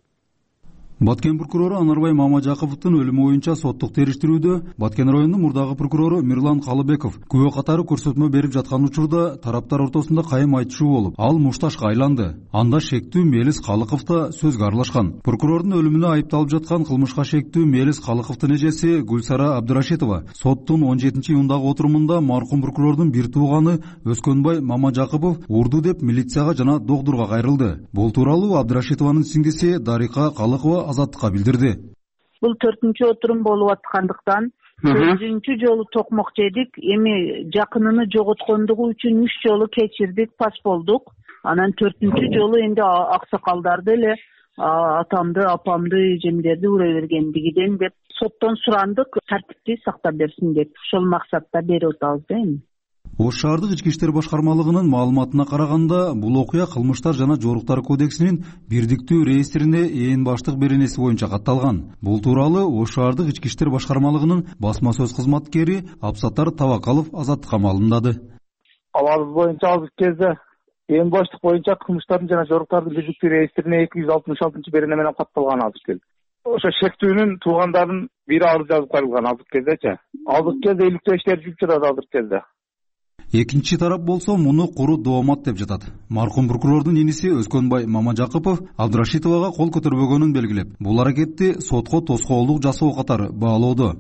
Баткен прокурору Анарбай Мамажаковдун өлүмү боюнча соттук териштирүүдө Баткен районунун мурдагы прокурору Мирлан Калыбеков күбө катары көрсөтмө берип жаткан учурда тараптар ортосунда кайым айтышуу болуп, ал мушташка айланды. Анда шектүү Мелис Калыков да сөзгө аралашкан. Прокурордун өлүмүнө айыпталып жаткан кылмышка шектүү Мелис Калыковдун эжеси Гүлсара Абдырашитова соттун он жетинчи июндагы отурумунда маркум прокурордун бир тууганы Өскөнбай Мамажакопов урду деп милицияга жана докторго кайрылды. Бул тууралуу Абдырашитованын сиңдиси Дарика Калыкова Азаттыкка билдирди. Бул төртүнчү отурум болуп аткандыктан төртүнчү жолу токмок жедик, эми жакынын жоготкондугу үчүн үч жолу кечирдик, пас болдук. Анан төртүнчү жолу энди аксакалдарды эле атамды, апамды, эжемдерди урай бергендигиден деп соттон сурандык, тартипти сактап берсин деп. Ошол максатта берип атабыз да эми. Ош шаардык ички иштер башкармалыгынын маалыматына караганда, бул окуя кылмыштар жана жоруктар кодексинин бирдиктүү реестрине ээн баштык беренеси боюнча катталган. Бул тууралуу Ош шаардык ички иштер башкармалыгынын басма сөз кызматкери Абсатар Табакалов Азаттыкка маалымдады. Аларыбыз боюнча азыркы кезде ээн баштык боюнча кылмыштардын жана жоруктардын бирдиктүү реестрине эки жүз алтымыш алтынчы берене менен катталган азыркы кезде. Ошо шектүүнүн туугандарын бири арыз жазып кайрылган азыркы кездечи. Азыркы кезде иликтөө иштери жүрүп жатат азыркы кезде. Экинчи тарап болсо муну куру доомат деп жатат. Маркум прокурордун иниси Өскөнбай Мамажакопов Абдырашитовага кол көтөрбөгөнүн белгилеп, бул аракетти сотко тоскоолдук жасоо катары баалоодо.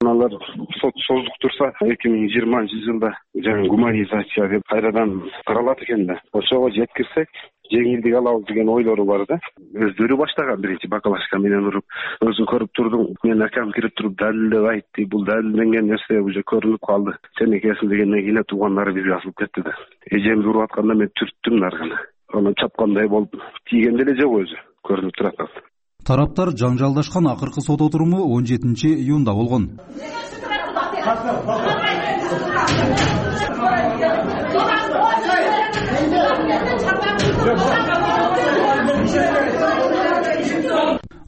Алар сот создук турса эки миң жыйырманчы жылда жаңы гуманизация деп кайрадан каралат экен да. Ошого жеткирсек жеңилдик алабыз деген ойлору бар да. Өздөрү баштаган биринчи бакалашка менен уруп, өзүң көрүп турдуң, мен акам кирип туруп далилдеп айтты, бул далилденген нерсе уже көрүнүп калды. Сен экенсиң дегенден кийин туугандар бизге асылып кетти да. Эжемди уруп атканда мен түрттүм нарганы. Аны чапкандай болуп, тийген деле жок өзү, көрүнүп турат. Тараптар жаңжалдашкан акыркы сот отуруму он жетинчи июнда болгон.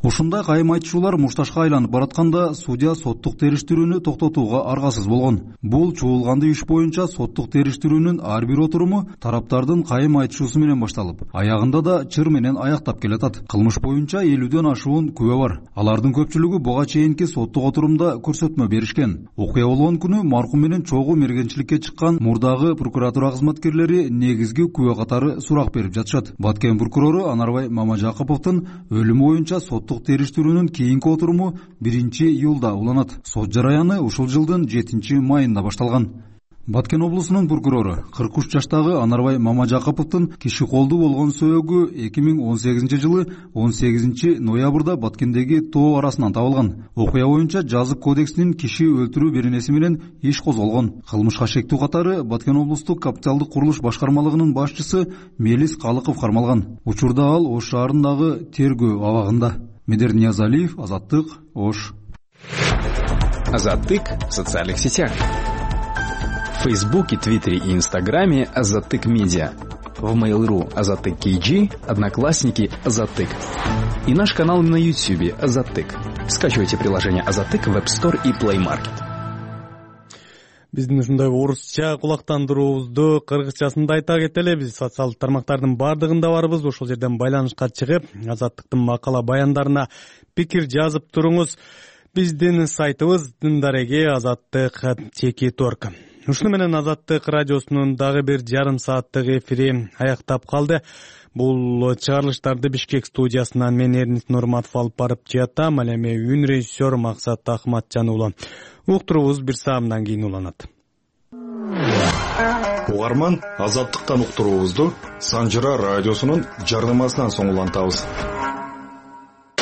Ушундай кайым айтышуулар мушташка айланып баратканда судья соттук териштирүүнү токтотууга аргасыз болгон. Бул чуулганды иш боюнча соттук териштирүүнүн ар бир отуруму тараптардын кайым айтышуусу менен башталып, аягында да чыр менен аяктап келатат. Кылмыш боюнча элүүдөн ашуун күбө бар. Алардын көпчүлүгү буга чейинки соттук отурумда көрсөтмө беришкен. Окуя болгон күнү маркум менен чогуу мергенчиликке чыккан мурдагы прокуратура кызматкерлери негизги күбө катары сурак берип жатышат. Баткен прокурору Анарбай Мамажаковдун өлүмү боюнча соттук териштирүүнүн кийинки отуруму биринчи июлда уланат. Сот жараяны ушул жылдын жетинчи майында башталган. Баткен облусунун прокурору кырк үч жаштагы Анарбай Мамажаковдун киши колдуу болгон сөөгү эки миң он сегизинчи жылы он сегизинчи ноябрда Баткендеги тоо арасынан табылган. Окуя боюнча жазык кодексинин киши өлтүрүү беренеси менен иш козголгон. Кылмышка шектүү катары Баткен облустук капиталдык курулуш башкармалыгынын башчысы Мелис Калыков кармалган. Учурда ал Ош шаарындагы тергөө абагында. Медер Ниязалиев, Азаттык, Ош. Азаттык в социальных сетях. В Фейсбуке, Твиттере и Инстаграме Азаттык Медиа. В Mail.ru Азаттык кей джи, Одноклассники Азаттык. И наш канал на Ютубе Азаттык. Скачивайте приложение Азаттык в App Store и Play Market. Биздин ушундай орусча кулактандыруубузду кыргызчасында айта кетели. Биз социалдык тармактардын бардыгында барбыз. Ошол жерден байланышка чыгып, Азаттыктын макала баяндарына пикир жазып туруңуз. Биздин сайтыбыз Дындареге Азаттык чеки торг. Ушуну менен Азаттык радиосунун дагы бир жарым сааттык эфири аяктап калды. Бул чыгарылыштарды Бишкек студиясынан мен Эрнис Нурматов алып барып жатам. Ал эми үн режиссер Максат Ахматжан уулу. Уктурубуз бир саамдан кийин уланат. Угарман, Азаттыктан уктурубузду Санжыра радиосунун жардамасынан соң улантабыз.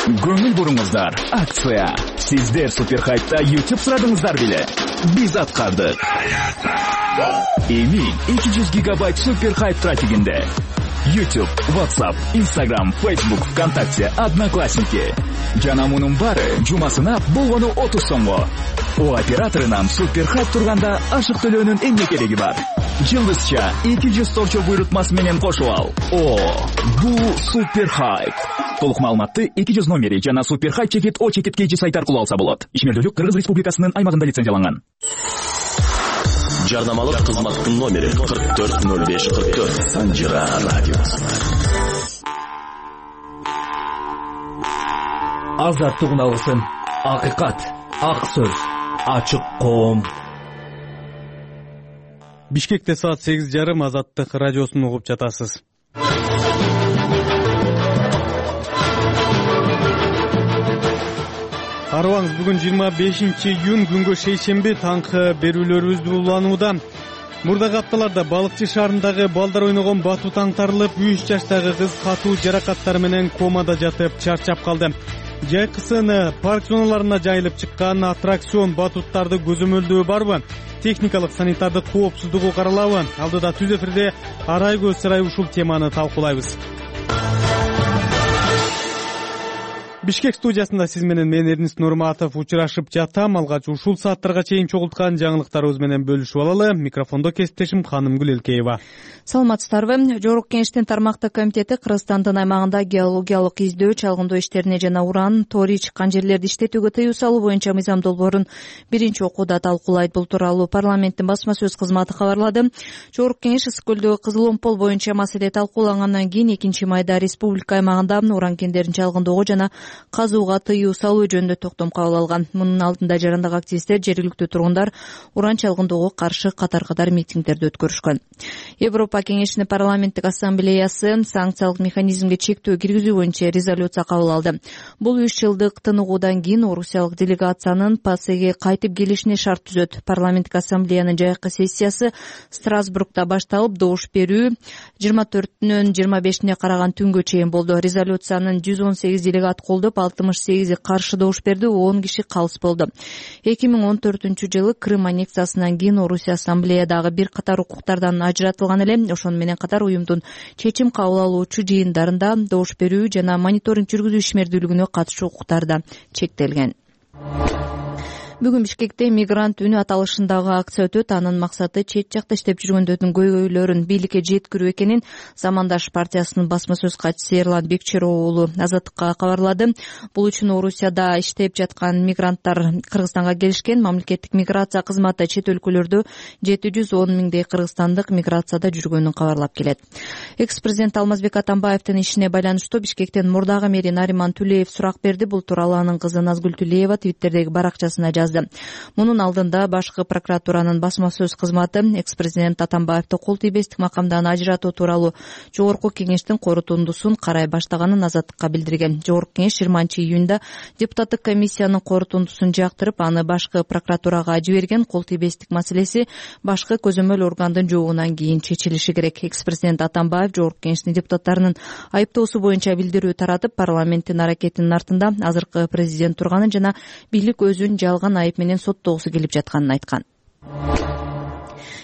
Көңүл буруңуздар, акция. Сиздер Суперхайпта YouTube сурадыңыздар беле? Биз аткардык. Эми эки жүз гигабайт Суперхайп трафигинде. YouTube, WhatsApp, Instagram, Facebook, ВКонтакте, Одноклассники. Жана мунун бары жумасына болгону отуз сомго. О операторунан Суперхайп турганда ашык төлөөнүн эмне кереги бар? Жылдызча эки жүз торчо буйрутмасы менен кошуп ал. О, бул Суперхайп. Толук маалыматты эки жүз номери жана Суперхайп чекит о чекит кей джи сайт аркылуу алса болот. Ишмердүүлүк Кыргыз Республикасынын аймагында лицензияланган. Жарнамалык кызматтын номери кырк төрт ноль беш кырк төрт. Санжира радиосу. Азаттык алгысын. Акыйкат, ак сөз, ачык коом. Бишкекте саат сегиз жарым Азаттык радиосун угуп жатасыз. Арыбаңыз, бүгүн жыйырма бешинчи июнь күнгө шейшемби таңкы берүүлөрүбүздү уланууда. Мурдагы апталарда балыкчы шаарындагы балдар ойногон батут аңтарылып, үч жаштагы кыз катуу жаракаттар менен комада жатып чарчап калды. Жайкысын парк зоналарына жайылып чыккан аттракцион батуттарды көзөмөлдөө барбы? Техникалык санитардык коопсуздугу каралабы? Алдыда түз эфирде арай көз сарай ушул теманы талкуулайбыз. Бишкек студиясында сиз менен мен Эрнис Нурматов учурашып жатам. Алгач ушул сааттарга чейин чогулткан жаңылыктарыбыз менен бөлүшүп алалы. Микрофондо кесиптешим Канымгүл Элкеева. Саламатсыздарбы. Жогорку Кеңештин тармактык комитети Кыргызстандын аймагында геологиялык издөө, чалгындоо иштерине жана уран, тори чыккан жерлерди иштетүүгө тыюу салуу боюнча мыйзам долбоорун биринчи окууда талкуулайт. Бул тууралуу парламенттин басма сөз кызматы кабарлады. Жогорку Кеңеш Ысык көлдөгү Кызыл Омпол боюнча маселе талкуулангандан кийин экинчи майда республика аймагында уран кендерин чалгындоого жана казууга тыюу салуу жөнүндө токтом кабыл алган. Мунун алдында жарандык активисттер, жергиликтүү тургундар уран чалгындоого каршы катар-катар митингдерди өткөрүшкөн. Европа Кеңешинин парламенттик ассамблеясы санкциялык механизмге чектөө киргизүү боюнча резолюция кабыл алды. Бул үч жылдык тыныгуудан кийин орусиялык делегациянын ПАСЕге кайтып келишине шарт түзөт. Парламенттик ассамблеянын жайкы сессиясы Страсбургда башталып, добуш берүү жыйырма төртүнөн жыйырма бешине караган түнгө чейин болду. Резолюциянын жүз он сегиз делегат колдоп, алтымыш сегизи каршы добуш берди, он киши калыс болду. эки миң он төртүнчү жылы Крым аннексиясынан кийин Орусия ассамблеядагы бир катар укуктардан ажыратылган эле. Ошону менен катар уюмдун чечим кабыл алуучу жыйындарында добуш берүү жана мониторинг жүргүзүү ишмердүүлүгүнө катышуу укуктары да чектелген. Бүгүн Бишкекте мигрант үнү аталышындагы акция өтөт. Анын максаты чет жакта иштеп жүргөндөрдүн көйгөйлөрүн бийликке жеткирүү экенин Замандаш партиясынын басма сөз катчысы Эрлан Бекчеров уулу Азаттыкка кабарлады. Бул үчүн Орусияда иштеп жаткан мигранттар Кыргызстанга келишкен. Мамлекеттик миграция кызматы чет өлкөлөрдө жети жүз он миңдей кыргызстандык миграцияда жүргөнүн кабарлап келет. Экс-президент Алмазбек Атамбаевдин ишине байланыштуу Бишкектен мурдагы мэри Нариман Түлеев сурак берди. Бул тууралуу анын кызы Назгүл Түлеева Твиттердеги баракчасына жазды. Мунун алдында башкы прокуратуранын басма сөз кызматы экс-президент Атамбаевди кол тийбестик макамдан ажыратуу тууралуу Жогорку Кеңештин корутундусун карай баштаганын Азаттыкка билдирген. Жогорку Кеңеш жыйырманчы июнда депутаттык комиссиянын корутундусун жактырып, аны башкы прокуратурага жиберген. Кол тийбестик маселеси башкы көзөмөл органдын жообунан кийин чечилиши керек. Экс-президент Атамбаев Жогорку Кеңештин депутаттарынын айыптоосу боюнча билдирүү таратып, парламенттин аракетинин артында азыркы президент турганын жана бийлик өзүн жалган айып менен соттогусу келип жатканын айткан.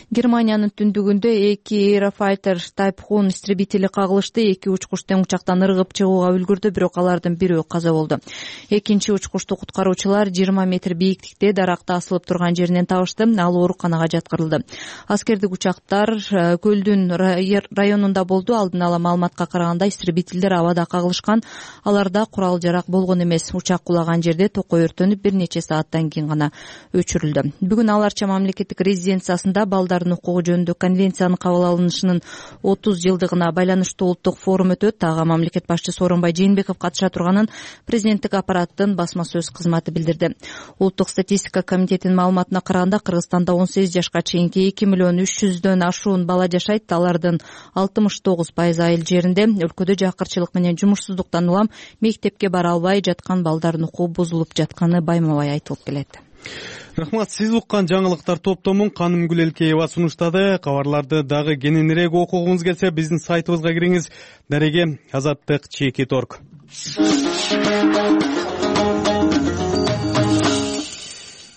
Германиянын түндүгүндө эки Aerofighter Type Hun истребители кагылышты. Эки учкуч тең учактан ыргып чыгууга үлгүрдү, бирок алардын бирөө каза болду. Экинчи учкучту куткаруучулар жыйырма метр бийиктикте даракта асылып турган жеринен табышты. Ал ооруканага жаткырылды. Аскердик учактар көлдүн районунда болду. Алдын ала маалыматка караганда истребительдер абада кагылышкан. Аларда курал жарак болгон эмес. Учак кулаган жерде токой өртөнүп, бир нече сааттан кийин гана өчүрүлдү. Бүгүн аларча мамлекеттик резиденциясында балдар укугу жөнүндө конвенциянын кабыл алынышынын отуз жылдыгына байланыштуу улуттук форум өтөт. Ага мамлекет башчысы Сооронбай Жээнбеков катыша турганын президенттик аппараттын басма сөз кызматы билдирди. Улуттук статистика комитетинин маалыматына караганда Кыргызстанда он сегиз жашка чейинки эки миллион үч жүздөн ашуун бала жашайт. Алардын алтымыш тогуз пайызы айыл жеринде. Өлкөдө жакырчылык менен жумушсуздуктан улам мектепке бара албай жаткан балдардын укугу бузулуп жатканы байма-бай айтылып келет. Рахмат, сиз уккан жаңылыктар топтомун Канымгүл Элкеева сунуштады. Кабарларды дагы кененирээк окугуңуз келсе, биздин сайтыбызга кириңиз. Дареге азаттык чекит точка орг.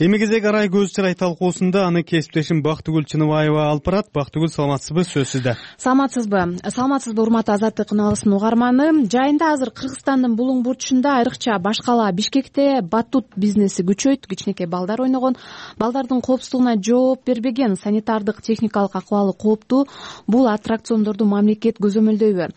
Эми кезек арай көз чырай талкуусунда аны кесиптешим Бактыгүл Чыныбаева алып барат. Бактыгүл, саламатсызбы? Сөз сизде. Саламатсызбы? Саламатсызбы, урматтуу Азаттык каналыбыздын угарманы. Жайында азыр Кыргызстандын булуң бурчунда, айрыкча баш кала Бишкекте батут бизнеси күчөйт. Кичинекей балдар ойногон. Балдардын коопсуздугуна жооп бербеген, санитардык техникалык акыбалы кооптуу. Бул аттракциондорду мамлекет көзөмөлдөйбү?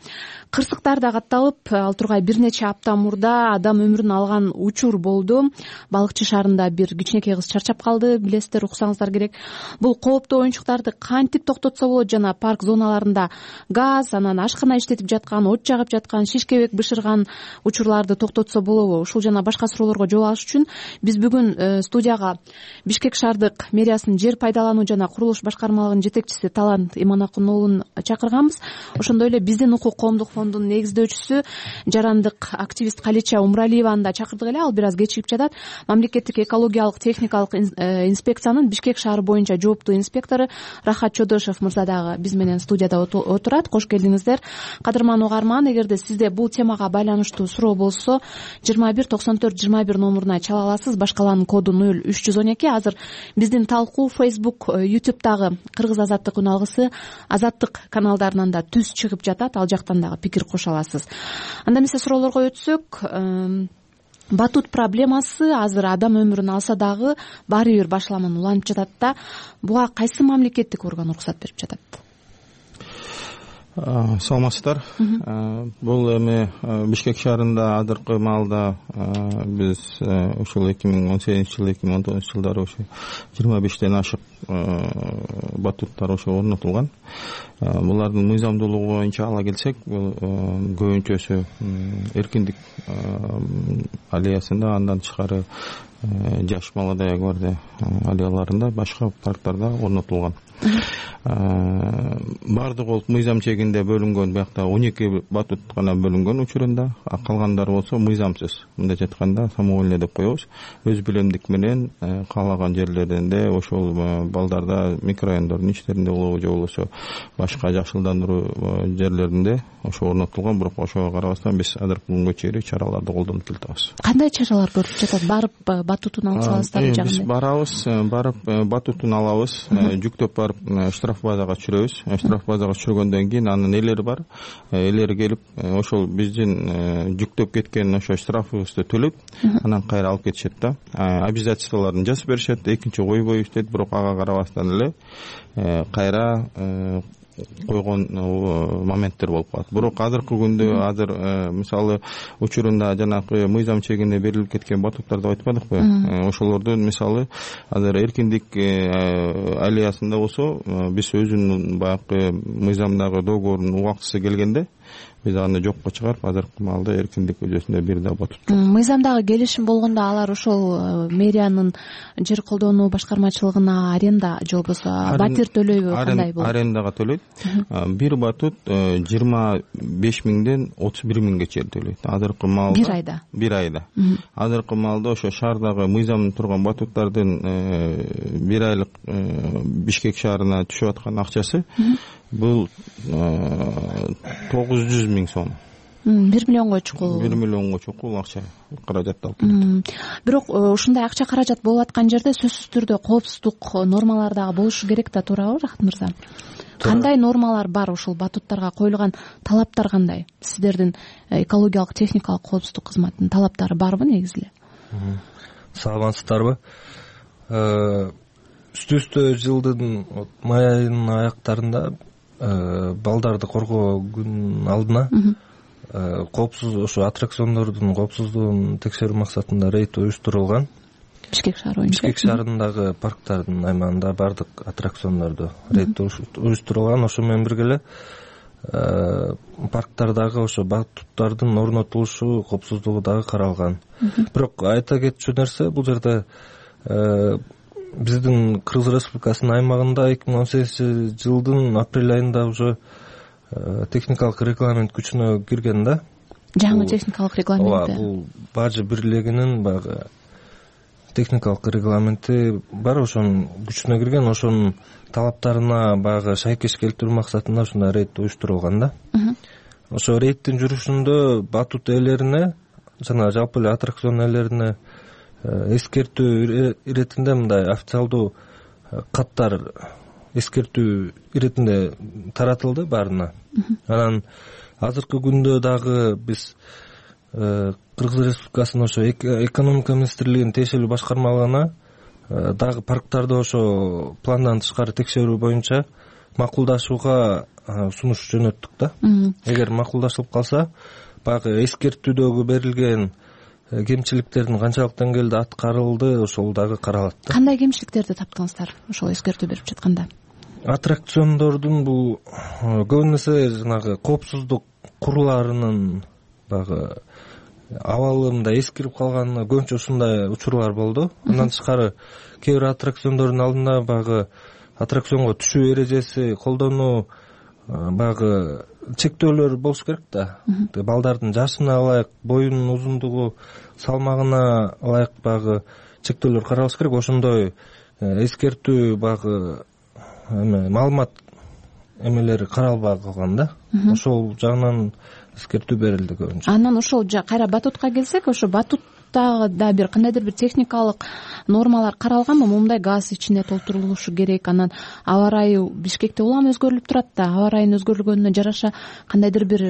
Кырсыктар да катталып, ал тургай бир нече апта мурда адам өмүрүн алган учур болду. Балыкчы шаарында бир кичинекей эки кыз чарчап калды, билесиздер, уксаңыздар керек. Бул кооптуу оюнчуктарды кантип токтотсо болот? Жана парк зоналарында газ, анан ашкана иштетип жаткан, от жагып жаткан, шишкебек бышырган учурларды токтотсо болобу? Ушул жана башка суроолорго жооп алыш үчүн биз бүгүн студияга Бишкек шаардык мэриясынын жер пайдалануу жана курулуш башкармалыгынын жетекчиси Талант Иманакун уулун чакырганбыз. Ошондой эле биздин укук коомдук фондунун негиздөөчүсү, жарандык активист Калича Умралиеваны да чакырдык эле. Ал бир аз кечигип жатат. Мамлекеттик экологиялык техникалык инспекциянын Бишкек шаары боюнча жооптуу инспектору Рахат Чодошев мырза дагы биз менен студияда отурат. Кош келдиңиздер. Кадырман угарман, эгерде сизде бул темага байланыштуу суроо болсо жыйырма бир токсон төрт жыйырма бир номуруна чала аласыз. Башкаланын коду нөл үч жүз он эки. Азыр биздин талкуу Facebook, YouTube'дагы Кыргыз азаттык үн алгысы, Азаттык каналдарынан да түз чыгып жатат. Ал жактан дагы пикир кошо аласыз. Анда эмесе суроолорго өтсөк, батут проблемасы азыр адам өмүрүн алса дагы баары бир башаламан уланып жатат да. Буга кайсы мамлекеттик орган уруксат берип жатат? Саламатсыздар. Бул эми Бишкек шаарында азыркы маалда биз ушул эки миң он сегизинчи жыл, эки миң он тогузунчу жылдары ошо жыйырма бештен ашык батуттар ошо орнотулган. Булардын мыйзамдуулугу боюнча ала келсек, бул көбүнчөсү эркиндик аллеясында, андан тышкары Жаш Молодая гвардия аллеяларында, башка парктарда орнотулган. Бардыгы болуп мыйзам чегинде бөлүнгөн, биякта он эки батут гана бөлүнгөн учурунда, калгандары болсо мыйзамсыз. Мындайча айтканда самовольный деп коебуз. Өз билемдик менен каалаган жерлеринде ошол балдарда микрорайондордун ичтеринде болобу же болбосо башка жакшыландыруу жерлеринде ошо орнотулган. Бирок ошого карабастан биз азыркы күнгө чейин чараларды колдонуп келатабыз. Кандай чаралар көрүлүп жатат? Барып батутун алып саласыздарбы жагында? Биз барабыз, барып батутун алабыз, жүктөп барып штраф базага түшүрөбүз. Штраф базага түшүргөндөн кийин анын элери бар. Элери келип ошол биздин жүктөп кеткен ошо штрафыбызды төлөп, анан кайра алып кетишет да. Обязательстволорун жазып беришет. Экинчи ойбой иштейт, бирок ага карабастан эле кайра койгон моменттер болуп калат. Бирок азыркы күндө азыр мисалы учурунда жанагы мыйзам чегинде берилип кеткен батуттарды айтпадыкпы? Ошолордун мисалы азыр эркиндик аллеясында болсо биз өзүнүн баягы мыйзамдагы договордун убактысы келгенде биз аны жокко чыгарып, азыркы маалда эркиндик көчөсүндө бир да батут. Мыйзамдагы келишим болгондо алар ошол мэриянын жер колдонуу башкармачылыгына аренда же болбосо батир төлөйбү, кандай болот? Арендага төлөйт. Бир батут жыйырма беш миңден отуз бир миңге чейин төлөйт. Азыркы маалда бир айда. Бир айда. Азыркы маалда ошо шаардагы мыйзамда турган батуттардын бир айлык Бишкек шаарына түшүп аткан акчасы бул тогуз жүз миң сом. бир миллионго чукул. бир миллионго чукул акча каражатталып келет. Бирок ушундай акча каражат болуп аткан жерде сөзсүз түрдө коопсуздук нормалары дагы болушу керек да, туурабы Рахат мырза? Кандай нормалар бар ушул батуттарга коюлган талаптар кандай? Сиздердин экологиялык техникалык коопсуздук кызматынын талаптары барбы негизи эле? Саламатсыздарбы? Үстү-үстү жылдын май айынын аяктарында балдарды коргоо күнүнүн алдына коопсуз ошо аттракциондордун коопсуздугун текшерүү максатында рейд уюштурулган. Бишкек шаары боюнча. Бишкек шаарындагы парктардын аймагында бардык аттракциондордо рейд уюштурулган. Ошо менен бирге эле парктардагы ошо батуттардын орнотулушу коопсуздугу дагы каралган. Бирок айта кетчү нерсе, бул жерде биздин Кыргыз Республикасынын аймагында эки миң он сегизинчи жылдын апрель айында уже техникалык регламент күчүнө кирген да. Жаңы техникалык регламент. Ооба, бул Бажы бирлигинин баягы техникалык регламенти бар, ошонун күчүнө кирген. Ошонун талаптарына баягы шайкеш келтирүү максатында ушундай рейд уюштурулган да. Ошо рейдтин жүрүшүндө батут ээлерине жана жалпы эле аттракцион ээлерине эскертүү иретинде мындай официалдуу каттар эскертүү иретинде таратылды баарына. Анан азыркы күндө дагы биз Кыргыз Республикасынын ошо экономика министрлигинин тиешелүү башкармалыгына дагы парктарды ошо пландан тышкары текшерүү боюнча макулдашууга сунуш жөнөттүк да. Эгер макулдашылып калса, баягы эскертүүдөгү берилген кемчиликтердин канчалык деңгээлде аткарылды ошол дагы каралат да. Кандай кемчиликтерди таптыңыздар ошол эскертүү берип жатканда? Аттракциондордун бул көбүн эсе жанагы коопсуздук куруларынын баягы абалы мындай эскирип калганы көбүнчө ушундай учурлар болду. Андан тышкары кээ бир аттракциондордун алдында баягы аттракционго түшүү эрежеси колдонуу баягы чектөөлөр болуш керек да. Балдардын жашына ылайык, боюнун узундугу, салмагына ылайык баягы чектөөлөр каралыш керек. Ошондой эскертүү баягы эме маалымат эмелери каралбай калган да. Ошол жагынан эскертүү берилди көбүнчө. Анан ошол кайра батутка келсек, ошо батутта да бир кандайдыр бир техникалык нормалар каралганбы? Момундай газ ичине толтурулушу керек. Анан аба ырайы Бишкекте улам өзгөрүлүп турат да. Аба ырайынын өзгөрүлгөнүнө жараша кандайдыр бир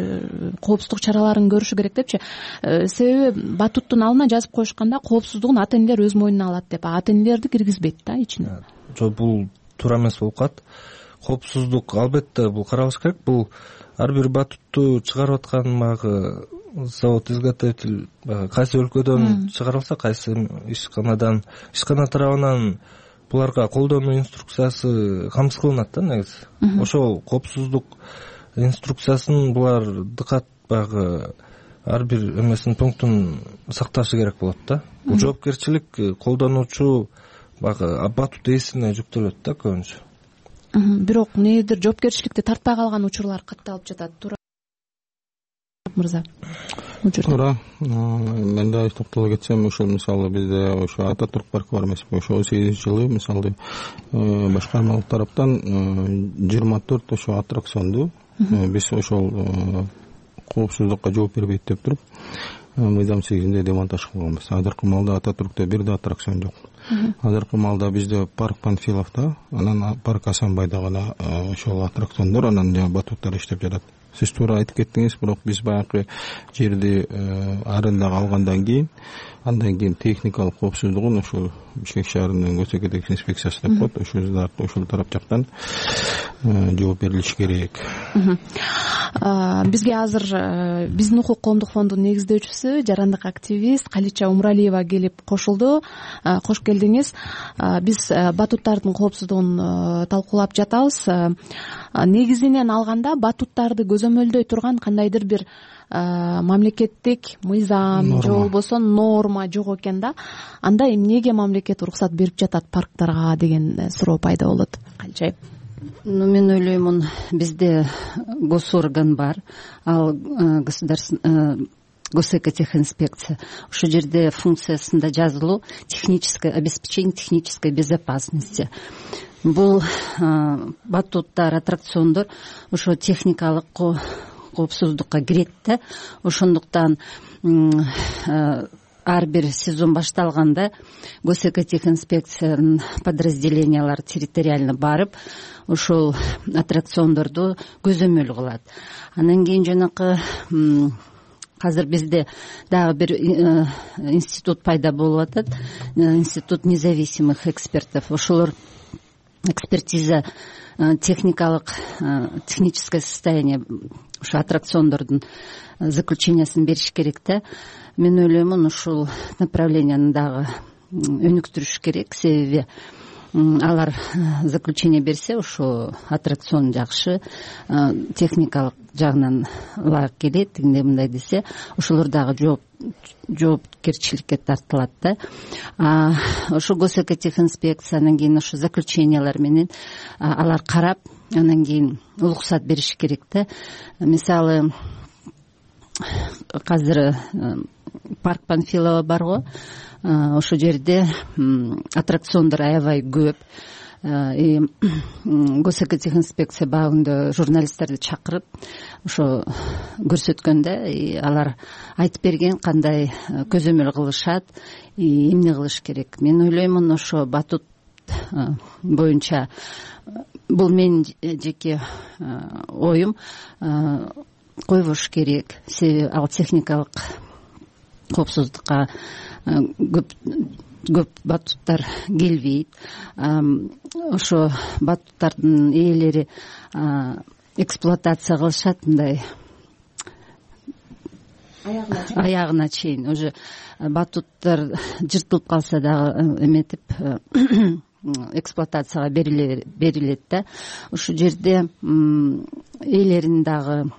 коопсуздук чараларын көрүшү керек депчи. Себеби батуттун алына жазып коюшканда коопсуздугун ата энелер өз мойнуна алат деп, ата энелерди киргизбейт да ичине. Жок, бул туура эмес болуп калат. Коопсуздук албетте бул каралыш керек. Бул ар бир батутту чыгарып аткан баягы завод, изготовитель кайсы өлкөдөн чыгарылса, кайсы ишканадан, ишкана тарабынан буларга колдонуу инструкциясы камсыз кылынат да негизи. Ошол коопсуздук инструкциясын булар дыкат баягы ар бир эмесин пунктун сакташы керек болот да. Бул жоопкерчилик колдонуучу баягы батут ээсине жүктөлөт да көбүнчө. Бирок негедир жоопкерчиликти тартпай калган учурлар катталып жатат. Туура мырза. Туура. Мен да токтоло кетсем, ошол мисалы бизде ошо Ататүрк паркы бар эмеспи? Ошо сегизинчи жылы мисалы башкармалык тараптан жыйырма төрт ошо аттракционду биз ошол коопсуздукка жооп бербейт деп туруп мыйзам сегизинде демонтаж кылганбыз. Азыркы маалда Ататүрктө бир да аттракцион жок. Азыркы маалда бизде парк Панфиловдо, анан парк Асанбайда гана ошол аттракциондор, анан батуттар иштеп жатат. Сиз туура айтып кеттиңиз, бирок биз баягы жерди арендага алгандан кийин, андан кийин техникалык коопсуздугун ошол Бишкек шаарынын көчөкөдөгү инспекциясы деп коет, ошол ошол тарап жактан жооп берилиш керек. Бизге азыр биздин укук коомдук фондунун негиздөөчүсү, жарандык активист Калича Умралиева келип кошулду. Кош келдиңиз. Биз батуттардын коопсуздугун талкуулап жатабыз. Негизинен алганда батуттарды көзөмөлдөй турган кандайдыр бир мамлекеттик мыйзам же болбосо норма жок экен да. Анда эмнеге мамлекет уруксат берип жатат парктарга деген суроо пайда болот. Калчай. Ну, мен ойлоймун, бизде госорган бар, ал государственный госэкотехинспекция. Ошол жерде функциясында жазылуу техническое обеспечение технической безопасности. Бул батуттар, аттракциондор ошо техникалык коопсуздукка кирет да. Ошондуктан ар бир сезон башталганда госэкотехинспекциянын подразделениялары территориально барып, ошол аттракциондорду көзөмөл кылат. Андан кийин жанакы азыр бизде дагы бир институт пайда болуп атат, институт независимых экспертов. Ошолор экспертиза техникалык техническое состояние ошо аттракциондордун заключениясын бериш керек да. Мен ойлоймун, ушул направленияны дагы өнүктүрүш керек, себеби алар заключение берсе, ошо аттракцион жакшы, техникалык жагынан ылайык келет, тигиндей мындай десе, ошолор дагы жооп жоопкерчиликке тартылат да. Ошо госэкотехинспекция, анан кийин ошо заключениялар менен алар карап, анан кийин уруксат бериш керек да. Мисалы, азыр парк Панфилова барго, ошол жерде аттракциондор аябай көп. Госэкотехинспекция багында журналисттерди чакырып, ошо көрсөткөндө алар айтып берген кандай көзөмөл кылышат, эмне кылыш керек. Мен ойлоймун, ошо батут боюнча, бул менин жеке оюм, койбош керек. Себеби ал техникалык коопсуздукка көп көп батуттар келбейт. Ошо батуттардын ээлери эксплуатация кылышат, мындай аягына чейин уже батуттар жыртылып калса дагы эметип эксплуатацияга берилет да. Ушул жерде ээлерин дагы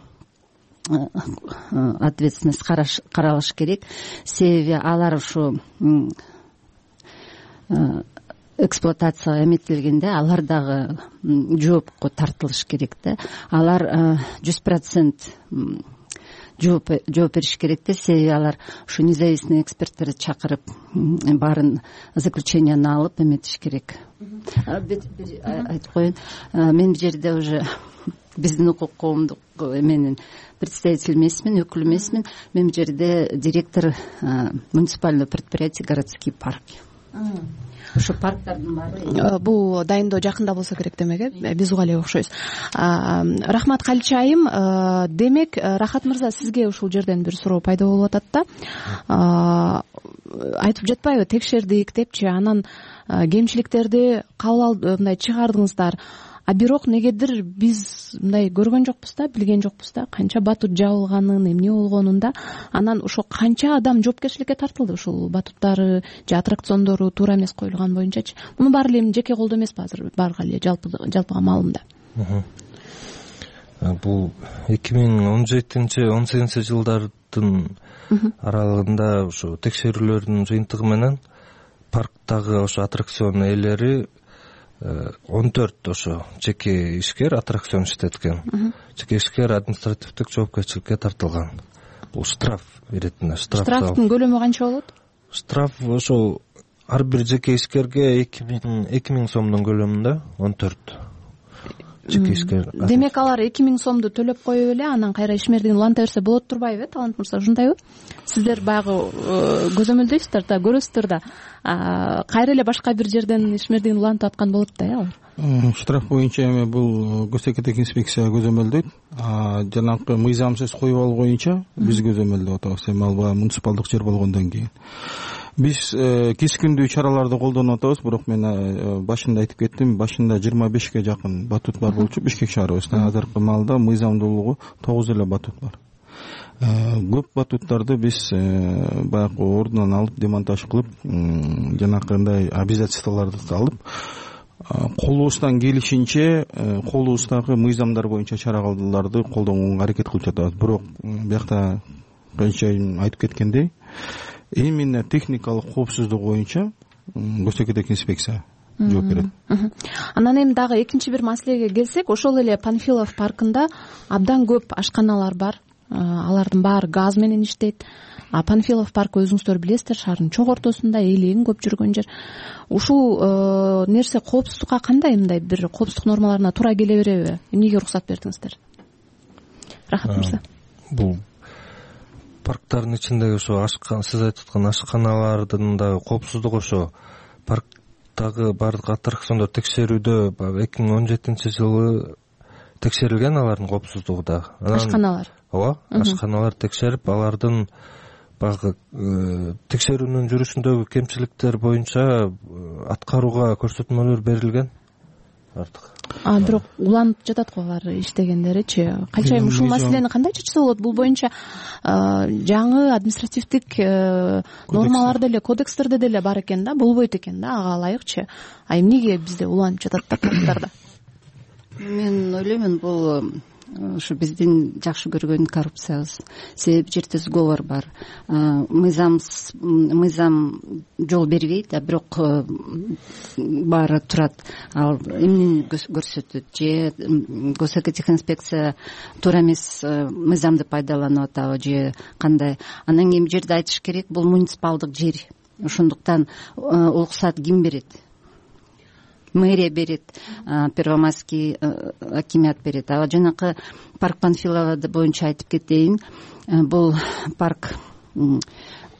ответственность каралыш керек. Себеби алар ушу эксплуатацияга эметилгенде алар дагы жоопко тартылыш керек да. Алар жүз процент жооп бериш керек да. Себеби алар ушу независимый эксперттерди чакырып баарын заключенияны алып эметиш керек. Айтып коеюн, мен бул жерде уже биздин укук коомдук эменин представитель эмесмин, өкүл эмесмин. Мен бул жерде директор муниципального предприятия городские парки. Ошо парктардын баары бул дайындоо жакында болсо керек демек, э биз уга эле окшойбуз. Рахмат Калича айым. Демек Рахат мырза, сизге ушул жерден бир суроо пайда болуп атат да. Айтып жатпайбы, текшердик депчи, анан кемчиликтерди кабыл алып мындай чыгардыңыздар. А бирок негедир биз мындай көргөн жокпуз да, билген жокпуз да, канча батут жабылганын, эмне болгонун да. Анан ошо канча адам жоопкерчиликке тартылды ушул батуттары же аттракциондору туура эмес коюлган боюнчачы. Муну баары эле эмне жеке колдо эмеспи азыр, баарга эле жалпы жалпыга маалымда. Бул эки миң он жетинчи он сегизинчи жылдардын аралыгында ошо текшерүүлөрдүн жыйынтыгы менен парктагы ошо аттракцион ээлери он төрт ошо жеке ишкер аттракцион иштеткен. Жеке ишкер административдик жоопкерчиликке тартылган. Бул штраф беретине. Штрафтын көлөмү канча болот? Штраф ошо ар бир жеке ишкерге эки миң сомдун көлөмүндө он төрт жеке ишкер. Демек алар эки миң сомду төлөп коюп эле анан кайра ишмердигин уланта берсе болот турбайбы, Талант мырза, ушундайбы? Сиздер баягы көзөмөлдөйсүздөр да, көрөсүздөр да. Кайра эле башка бир жерден ишмердигин улантып аткан болот да, э алар. Штраф боюнча эми бул госэкетик инспекция көзөмөлдөйт. Жанагы мыйзамсыз коюп алуу боюнча биз көзөмөлдөп атабыз. Эми ал баягы муниципалдык жер болгондон кийин биз кескиндүү чараларды колдонуп атабыз. Бирок мен башында айтып кеттим, башында жыйырма бешке жакын батут бар болчу Бишкек шаарыбызда. Азыркы маалда мыйзамдуулугу тогуз эле батут бар. Көп батуттарды биз баягы ордунан алып демонтаж кылып, жанакындай обязательстволорду алып, колубуздан келишинче колубуздагы мыйзамдар боюнча чараларды колдонууга аракет кылып жатабыз. Бирок биякта канча айтып кеткендей, именно техникалык коопсуздук боюнча госэкетик инспекция жооп берет. Анан эми дагы экинчи бир маселеге келсек, ошол эле Панфилов паркында абдан көп ашканалар бар. Алардын баары газ менен иштейт. А Панфилов паркы өзүңүздөр билесиздер, шаардын чоң ортосунда, эли эң көп жүргөн жер. Ушул нерсе коопсуздукка кандай, мындай бир коопсуздук нормаларына туура келе береби? Эмнеге уруксат бердиңиздер? Рахат мырза. Бул парктардын ичиндеги ошо ашкан, сиз айтып аткан ашканалардын дагы коопсуздугу ошо парктагы баардык аттракциондор текшерүүдө баягы эки миң он жетинчи жылы текшерилген, алардын коопсуздугу да. Ашканалар. Ооба, ашканалар текшерип, алардын баягы текшерүүнүн жүрүшүндөгү кемчиликтер боюнча аткарууга көрсөтмөлөр берилген. Артык. А бирок уланып жатат го алар иштегендеричи. Калчайым ушул маселени кандай чечсе болот? Бул боюнча жаңы административдик нормалар деле, кодекстерде деле бар экен да, болбойт экен да, ага ылайыкчы. А эмнеге бизде уланып жатат да парктарда? Мен ойлоймун, бул ушу биздин жакшы көргөн коррупциябыз. Себеби жерде сговор бар. Мыйзам мыйзам жол бербейт, а бирок баары турат. Ал эмнени көрсөтөт? Же госэкетик инспекция туура эмес мыйзамды пайдаланып атабы же кандай? Анан кийин жерде айтыш керек, бул муниципалдык жер. Ошондуктан уруксат ким берет? Мэрия берет, Первомайский акимиат берет. А жанакы парк Панфилова боюнча айтып кетейин, бул парк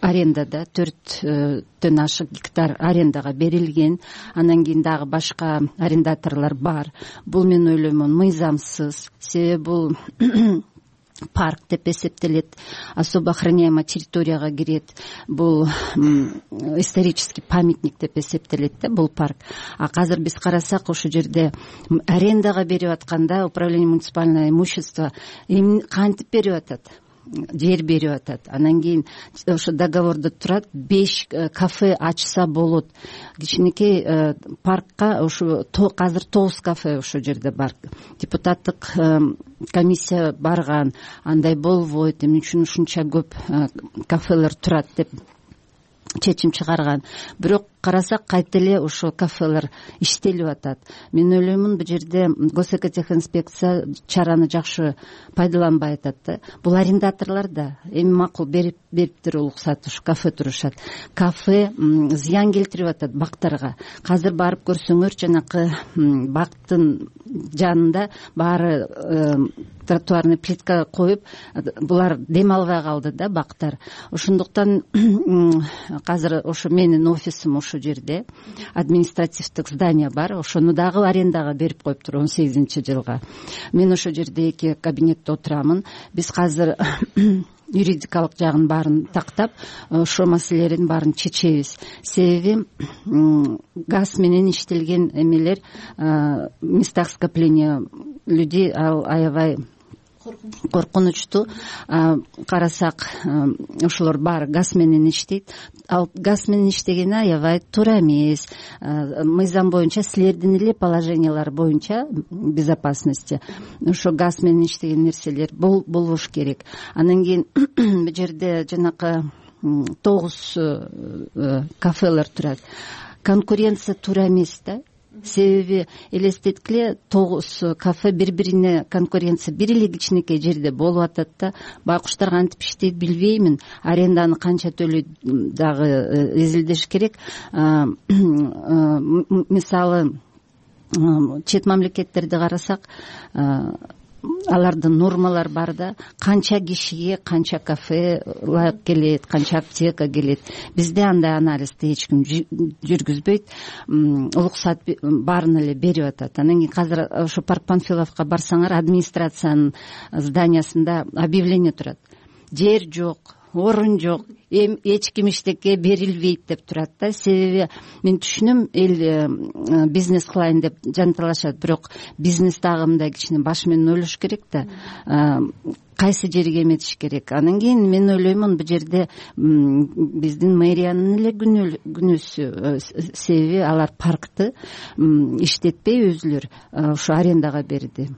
арендада, төрттөн ашык гектар арендага берилген. Анан кийин дагы башка арендаторлор бар. Бул мен ойлоймун мыйзамсыз. Себеби бул парк деп эсептелет, особо охраняемая территорияга кирет. Бул исторический памятник деп эсептелет да бул парк. А азыр биз карасак, ошол жерде арендага берип атканда управление муниципального имущества кантип берип атат? жер берип атат. Анан кийин ошо договордо турат, беш кафе ачса болот. Кичинекей паркка ошо азыр тогуз кафе ошол жерде бар. Депутаттык комиссия барган, андай болбойт, эмне үчүн ушунча көп кафелер турат деп чечим чыгарган. Бирок карасак кайта эле ошо кафелер иштелип атат. Мен ойлоймун, бул жерде госэкотехинспекция чараны жакшы пайдаланбай атат да. Бул арендаторлор да эми макул берип бериптир уруксат, ушу кафе турушат. Кафе зыян келтирип атат бактарга. Азыр барып көрсөңөр, жанакы бактын жанында баары тротуарный плитка коюп, булар дем албай калды да, бактар. Ошондуктан азыр ошо менин офисим ошо жерде, административдик здание бар, ошону дагы арендага берип коюптур он сегизинчи жылга. Мен ошо жерде эки кабинетте отурамын. Биз азыр юридикалык жагын баарын тактап, ошо маселелердин баарын чечебиз. Себеби газ менен иштелген эмелер, местах скопления людей ал аябай коркунучтуу. Карасак, ошолор баары газ менен иштейт. Ал газ менен иштегени аябай туура эмес. Мыйзам боюнча, силердин эле положениялар боюнча безопасности ошо газ менен иштеген нерселер болбош керек. Анан кийин бул жерде жанакы тогуз кафелер турат. Конкуренция туура эмес да. Себеби элестеткиле, тогуз кафе бири-бирине конкуренция бир эле кичинекей жерде болуп атат да. Байкуштар кантип иштейт билбеймин. Аренданы канча төлөйт дагы изилдеш керек. Мисалы, чет мамлекеттерди карасак, алардын нормалары бар да, канча кишиге канча кафе ылайык келет, канча аптека келет. Бизде андай анализди эч ким жүргүзбөйт. Уруксат баарын эле берип атат. Анан кийин азыр ошо Парк Панфиловка барсаңар, администрациянын зданиясында объявление турат. Жер жок, орун жок, эч ким иштекке берилбейт деп турат да. Себеби мен түшүнөм, эл бизнес кылайын деп жанталашат, бирок бизнес дагы мындай кичине баш менен ойлош керек да. Кайсы жерге эметиш керек. Анан кийин мен ойлоймун, бул жерде биздин мэриянын эле күнөөсү. Себеби алар паркты иштетпей өзүлөр ошо арендага берди.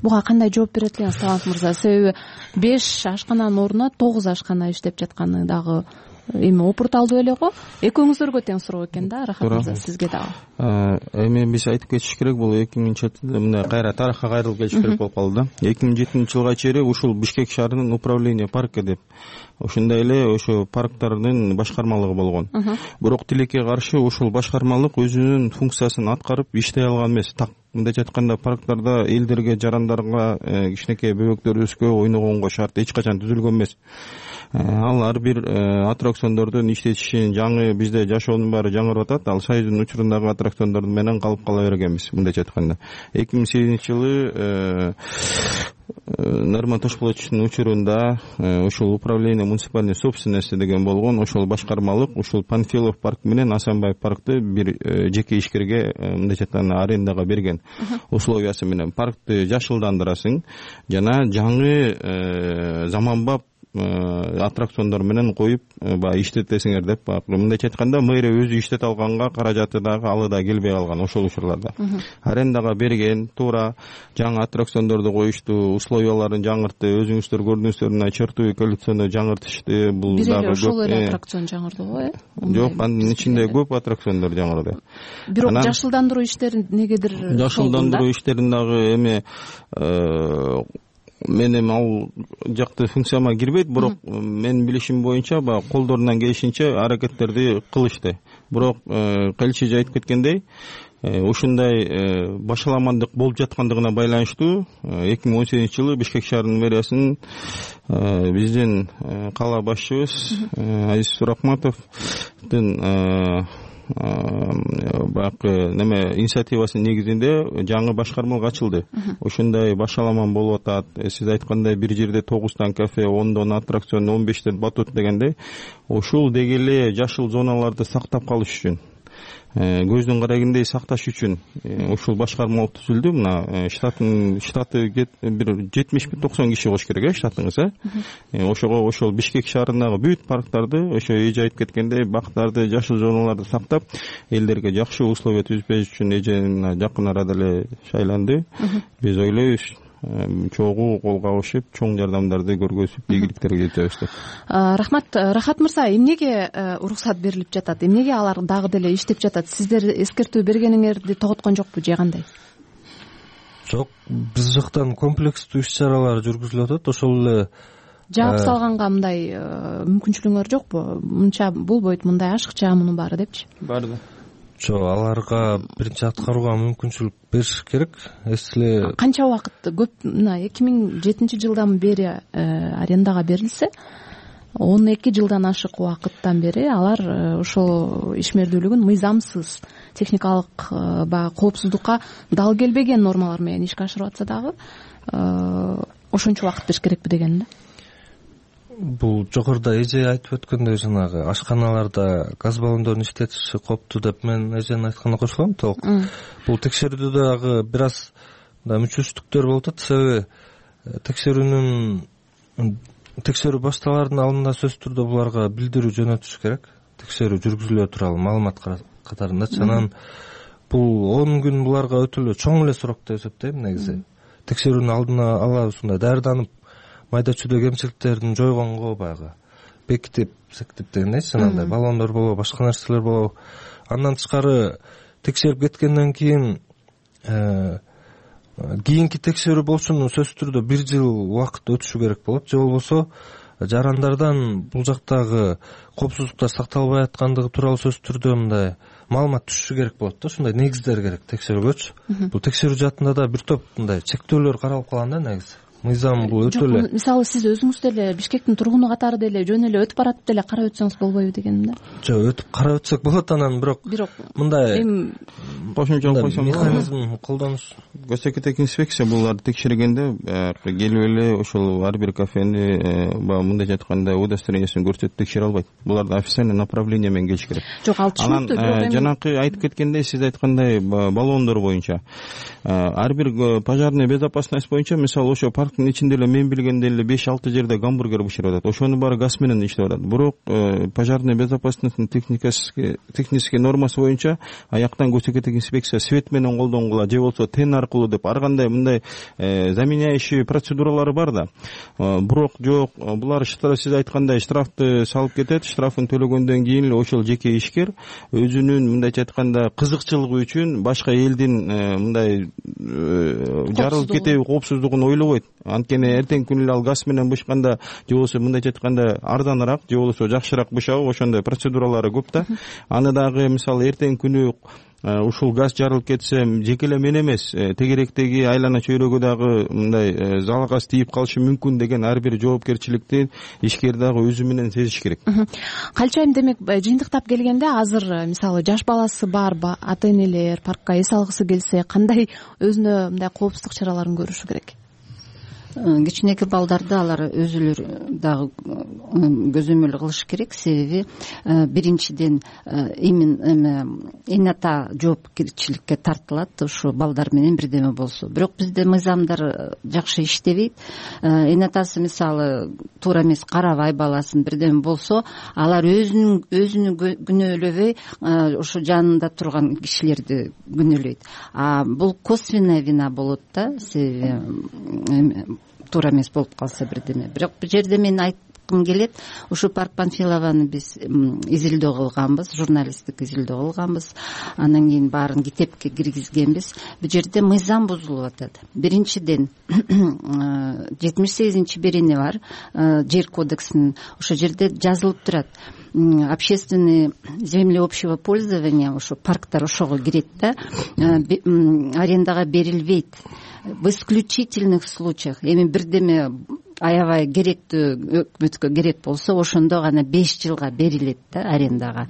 Буга кандай жооп берет элеңиз, Талант мырза? Себеби беш ашкананын ордуна тогуз ашкана иштеп жатканы дагы эми опурталдуу эле го. Экөөңүздөргө тең суроо экен да, Рахат мырза, сизге дагы. Эми биз айтып кетиш керек, бул эки миңинчи жылда мындай кайра тарыхка кайрылып келиш керек болуп калды да. эки миң жетинчи жылга чейин ушул Бишкек шаарынын управление парка деп ошондой эле ошо парктардын башкармалыгы болгон. Бирок тилекке каршы ушул башкармалык өзүнүн функциясын аткарып иштей алган эмес. Так мындайча айтканда, парктарда элдерге, жарандарга, кичинекей бөбөктөр өскө ойногонго шарт эч качан түзүлгөн эмес. Ал ар бир аттракциондордун иштетишин, жаңы бизде жашоонун баары жаңырып атат. Ал Союздун учурундагы аттракциондор менен калып кала бергенбиз, мындайча айтканда. эки миң сегизинчи жылы Нарман Тошполотовичтун учурунда ушул управление муниципальной собственности деген болгон, ошол башкармалык ушул Панфилов парк менен Асанбаев паркты бир жеке ишкерге, мындайча айтканда, арендага берген. Условиясы менен паркты жашылдандырасың жана жаңы заманбап аттракциондор менен коюп баягы иштетесиңер деп, мындайча айтканда, мэрия өзү иштете алганга каражаты дагы алы да келбей калган ошол учурларда. Арендага берген, туура жаңы аттракциондорду коюшту, условияларын жаңыртты, өзүңүздөр көрдүңүздөр, мына чертовый коллекционду жаңыртышты. Бул дагы ошол эле аттракцион жаңырды го, э? Жок, анын ичинде көп аттракциондор жаңырды. Бирок жашылдандыруу иштери негедир жашылдандыруу иштерин дагы эми мен эми ал жакты функцияма кирбейт, бирок менин билишим боюнча баягы колдорунан келишинче аракеттерди кылышты. Бирок Каличи айтып кеткендей, ушундай башаламандык болуп жаткандыгына байланыштуу эки миң он сегизинчи жылы Бишкек шаарынын мэриясынын биздин кала башчыбыз Азиз Суракматовдун баягы неме инициативасынын негизинде жаңы башкармалык ачылды. Ошондой башаламан болуп атат. Сиз айткандай, бир жерде тогуздан кафе, ондон аттракцион, он бештен батут дегендей, ушул деги эле жашыл зоналарды сактап калыш үчүн көздүн карагендей сакташ үчүн ушул башкарма болуп түзүлдү. Мына штаттын штаты бир жетимиш токсон киши болуш керек э штатыңыз э ошого ошол Бишкек шаарындагы бүт парктарды ошо эже айтып кеткендей бактарды, жашыл зоналарды сактап элдерге жакшы условия түзбөш үчүн эже жакын арада эле шайланды. Биз ойлойбуз чогуу колго алышып чоң жардамдарды көргөзүп ийгиликтерге жетебиз деп. Рахмат. Рахат мырза, эмнеге уруксат берилип жатат? Эмнеге алар дагы деле иштеп жатат? Сиздер эскертүү бергениңерди тоготкон жокпу же кандай? Жок, биз жактан комплекстүү иш-чаралар жүргүзүлүп атат. Ошол эле жаап салганга мындай мүмкүнчүлүгүңөр жокпу? Мынча болбойт, мындай ашыкча мунун баары депчи? Бар да. Жок, аларга биринчи аткарууга мүмкүнчүлүк бериш керек. Эсиле канча убакыт? Көп, мына эки миң жетинчи жылдан бери арендага берилсе, он эки жылдан ашык убакыттан бери алар ошол ишмердүүлүгүн мыйзамсыз, техникалык баягы коопсуздукка дал келбеген нормалар менен ишке ашырып атса дагы ошончо убакыт бериш керекпи деген да. Бул жогоруда эже айтып өткөндөй жанагы ашканаларда газ баллондорун иштетиши кооптуу деп мен эженин айтканына кошулам толук. Бул текшерүүдө дагы бир аз мүчөчтүктөр болуп атат. Себеби текшерүүнүн текшерүү башталаардын алдында сөзсүз түрдө буларга билдирүү жөнөтүш керек. Текшерүү жүргүзүлө туралы маалымат катарындачы. Анан бул он күн буларга өтө эле чоң эле срок деп эсептейм негизи. Текшерүүнүн алдына ала ушундай даярданып майда чүйдө кемчиликтерин жойгонго баягы бекитип сектип дегендейчи, жанагындай баллондор болобу, башка нерселер болобу. Андан тышкары текшерип кеткенден кийин кийинки текшерүү болушун сөзсүз түрдө бир жыл убакыт өтүшү керек болот. Же болбосо жарандардан бул жактагы коопсуздуктар сакталбай аткандыгы тууралуу сөзсүз түрдө мындай маалымат түшүшү керек болот да. Ушундай негиздер керек текшерүүгөчү. Бул текшерүү жаатында да бир топ мындай чектөөлөр каралып калган да негизи. Мыйзам бул өтө эле. Мисалы сиз өзүңүз деле Бишкектин тургуну катары деле жөн эле өтүп баратып деле карап өтсөңүз болбойбу дегеним да. Жок, өтүп карап өтсөк болот, анан бирок мындай кошумча койсом механизм колдонуш. Госэкотек инспекция буларды текшергенде келип эле ошол ар бир кафени баягы мындайча айтканда удостоверениесин көрсөтүп текшере албайт. Буларды официальный направление менен келиш керек. Жок, ал түшүнүктүү. Анан жанакы айтып кеткендей, сиз айткандай баллондор боюнча ар бир пожарная безопасность боюнча мисалы ошо парктын ичинде эле мен билгендей эле беш алты жерде гамбургер бышырып атат. Ошонун баары газ менен иштеп атат. Бирок пожарная безопасностьтун техникасы технический нормасы боюнча аяктан госэкотек инспекция свет менен колдонгула же болбосо тен аркылуу деп ар кандай мындай заменяющий процедуралары бар да. Бирок жок, булар сиз айткандай штрафты салып кетет. Штрафын төлөгөндөн кийин эле ошол жеке ишкер өзүнүн мындайча айтканда кызыкчылыгы үчүн башка элдин мындай жарылып кетеби коопсуздугун ойлобойт. Анткени эртең күнү эле ал газ менен бышканда же болбосо мындайча айтканда арзаныраак же болбосо жакшыраак бышабы, ошондой процедуралары көп да. Аны дагы мисалы эртең күнү ушул газ жарылып кетсе жеке эле мен эмес, тегеректеги айлана чөйрөгө дагы мындай залгаз тийип калышы мүмкүн деген ар бир жоопкерчиликти ишкер дагы өзү менен сезиш керек. Калчайым демек жыйынтыктап келгенде азыр мисалы жаш баласы бар ата энелер паркка эс алгысы келсе кандай өзүнө мындай коопсуздук чараларын көрүшү керек? Кичинекей балдарды алар өзүлөр дагы көзөмөл кылыш керек. Себеби биринчиден эми эната жоопкерчиликке тартылат ушу балдар менен бирдеме болсо. Бирок бизде мыйзамдар жакшы иштебейт. Энатасы мисалы туура эмес карабай баласын бирдеме болсо, алар өзүнүн өзүнү күнөөлөбөй ошо жанында турган кишилерди күнөөлөйт. А бул косвенная вина болот да. Себеби туура эмес болуп калса бирдеме. Бирок бул жерде мен айткым келет, ушу Парк Панфилованы биз изилдөө кылганбыз, журналисттик изилдөө кылганбыз. Андан кийин баарын китепке киргизгенбиз. Бул жерде мыйзам бузулуп атат. Биринчиден жетимиш сегизинчи берене бар, жер кодексинин. Ошол жерде жазылып турат. Общественные земли общего пользования, ошо парктар ошого кирет да, арендага берилбейт. В исключительных случаях, эми бирдеме аябай керектүү, өкмөткө керек болсо ошондо гана беш жылга берилет да арендага.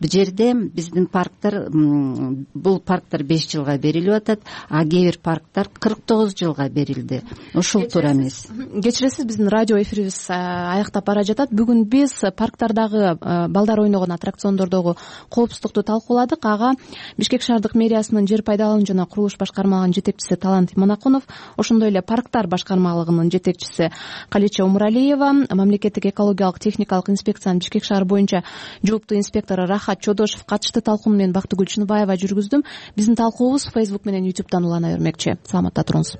Бул жерде биздин парктар, бул парктар беш жылга берилип атат, а кээ бир парктар кырк тогуз жылга берилди. Ушул туура эмес. Кечиресиз, биздин радио эфирибиз аяктап бара жатат. Бүгүн биз парктардагы балдар ойногон аттракциондордогу коопсуздукту талкууладык. Ага Бишкек шаардык мэриясынын жер пайдалануу жана курулуш башкармалыгынын жетекчиси Талант Иманакунов, ошондой эле парктар башкармалыгынын жетекчиси Калича Умуралиева, мамлекеттик экологиялык техникалык инспекциянын Бишкек шаар боюнча жооптуу инспектору Рахат Чодошев катышты. Талкууну мен Бактыгүл Чыныбаева жүргүздүм. Биздин талкуубуз Facebook менен YouTube'дан улана бермекчи. Саламатта туруңуз.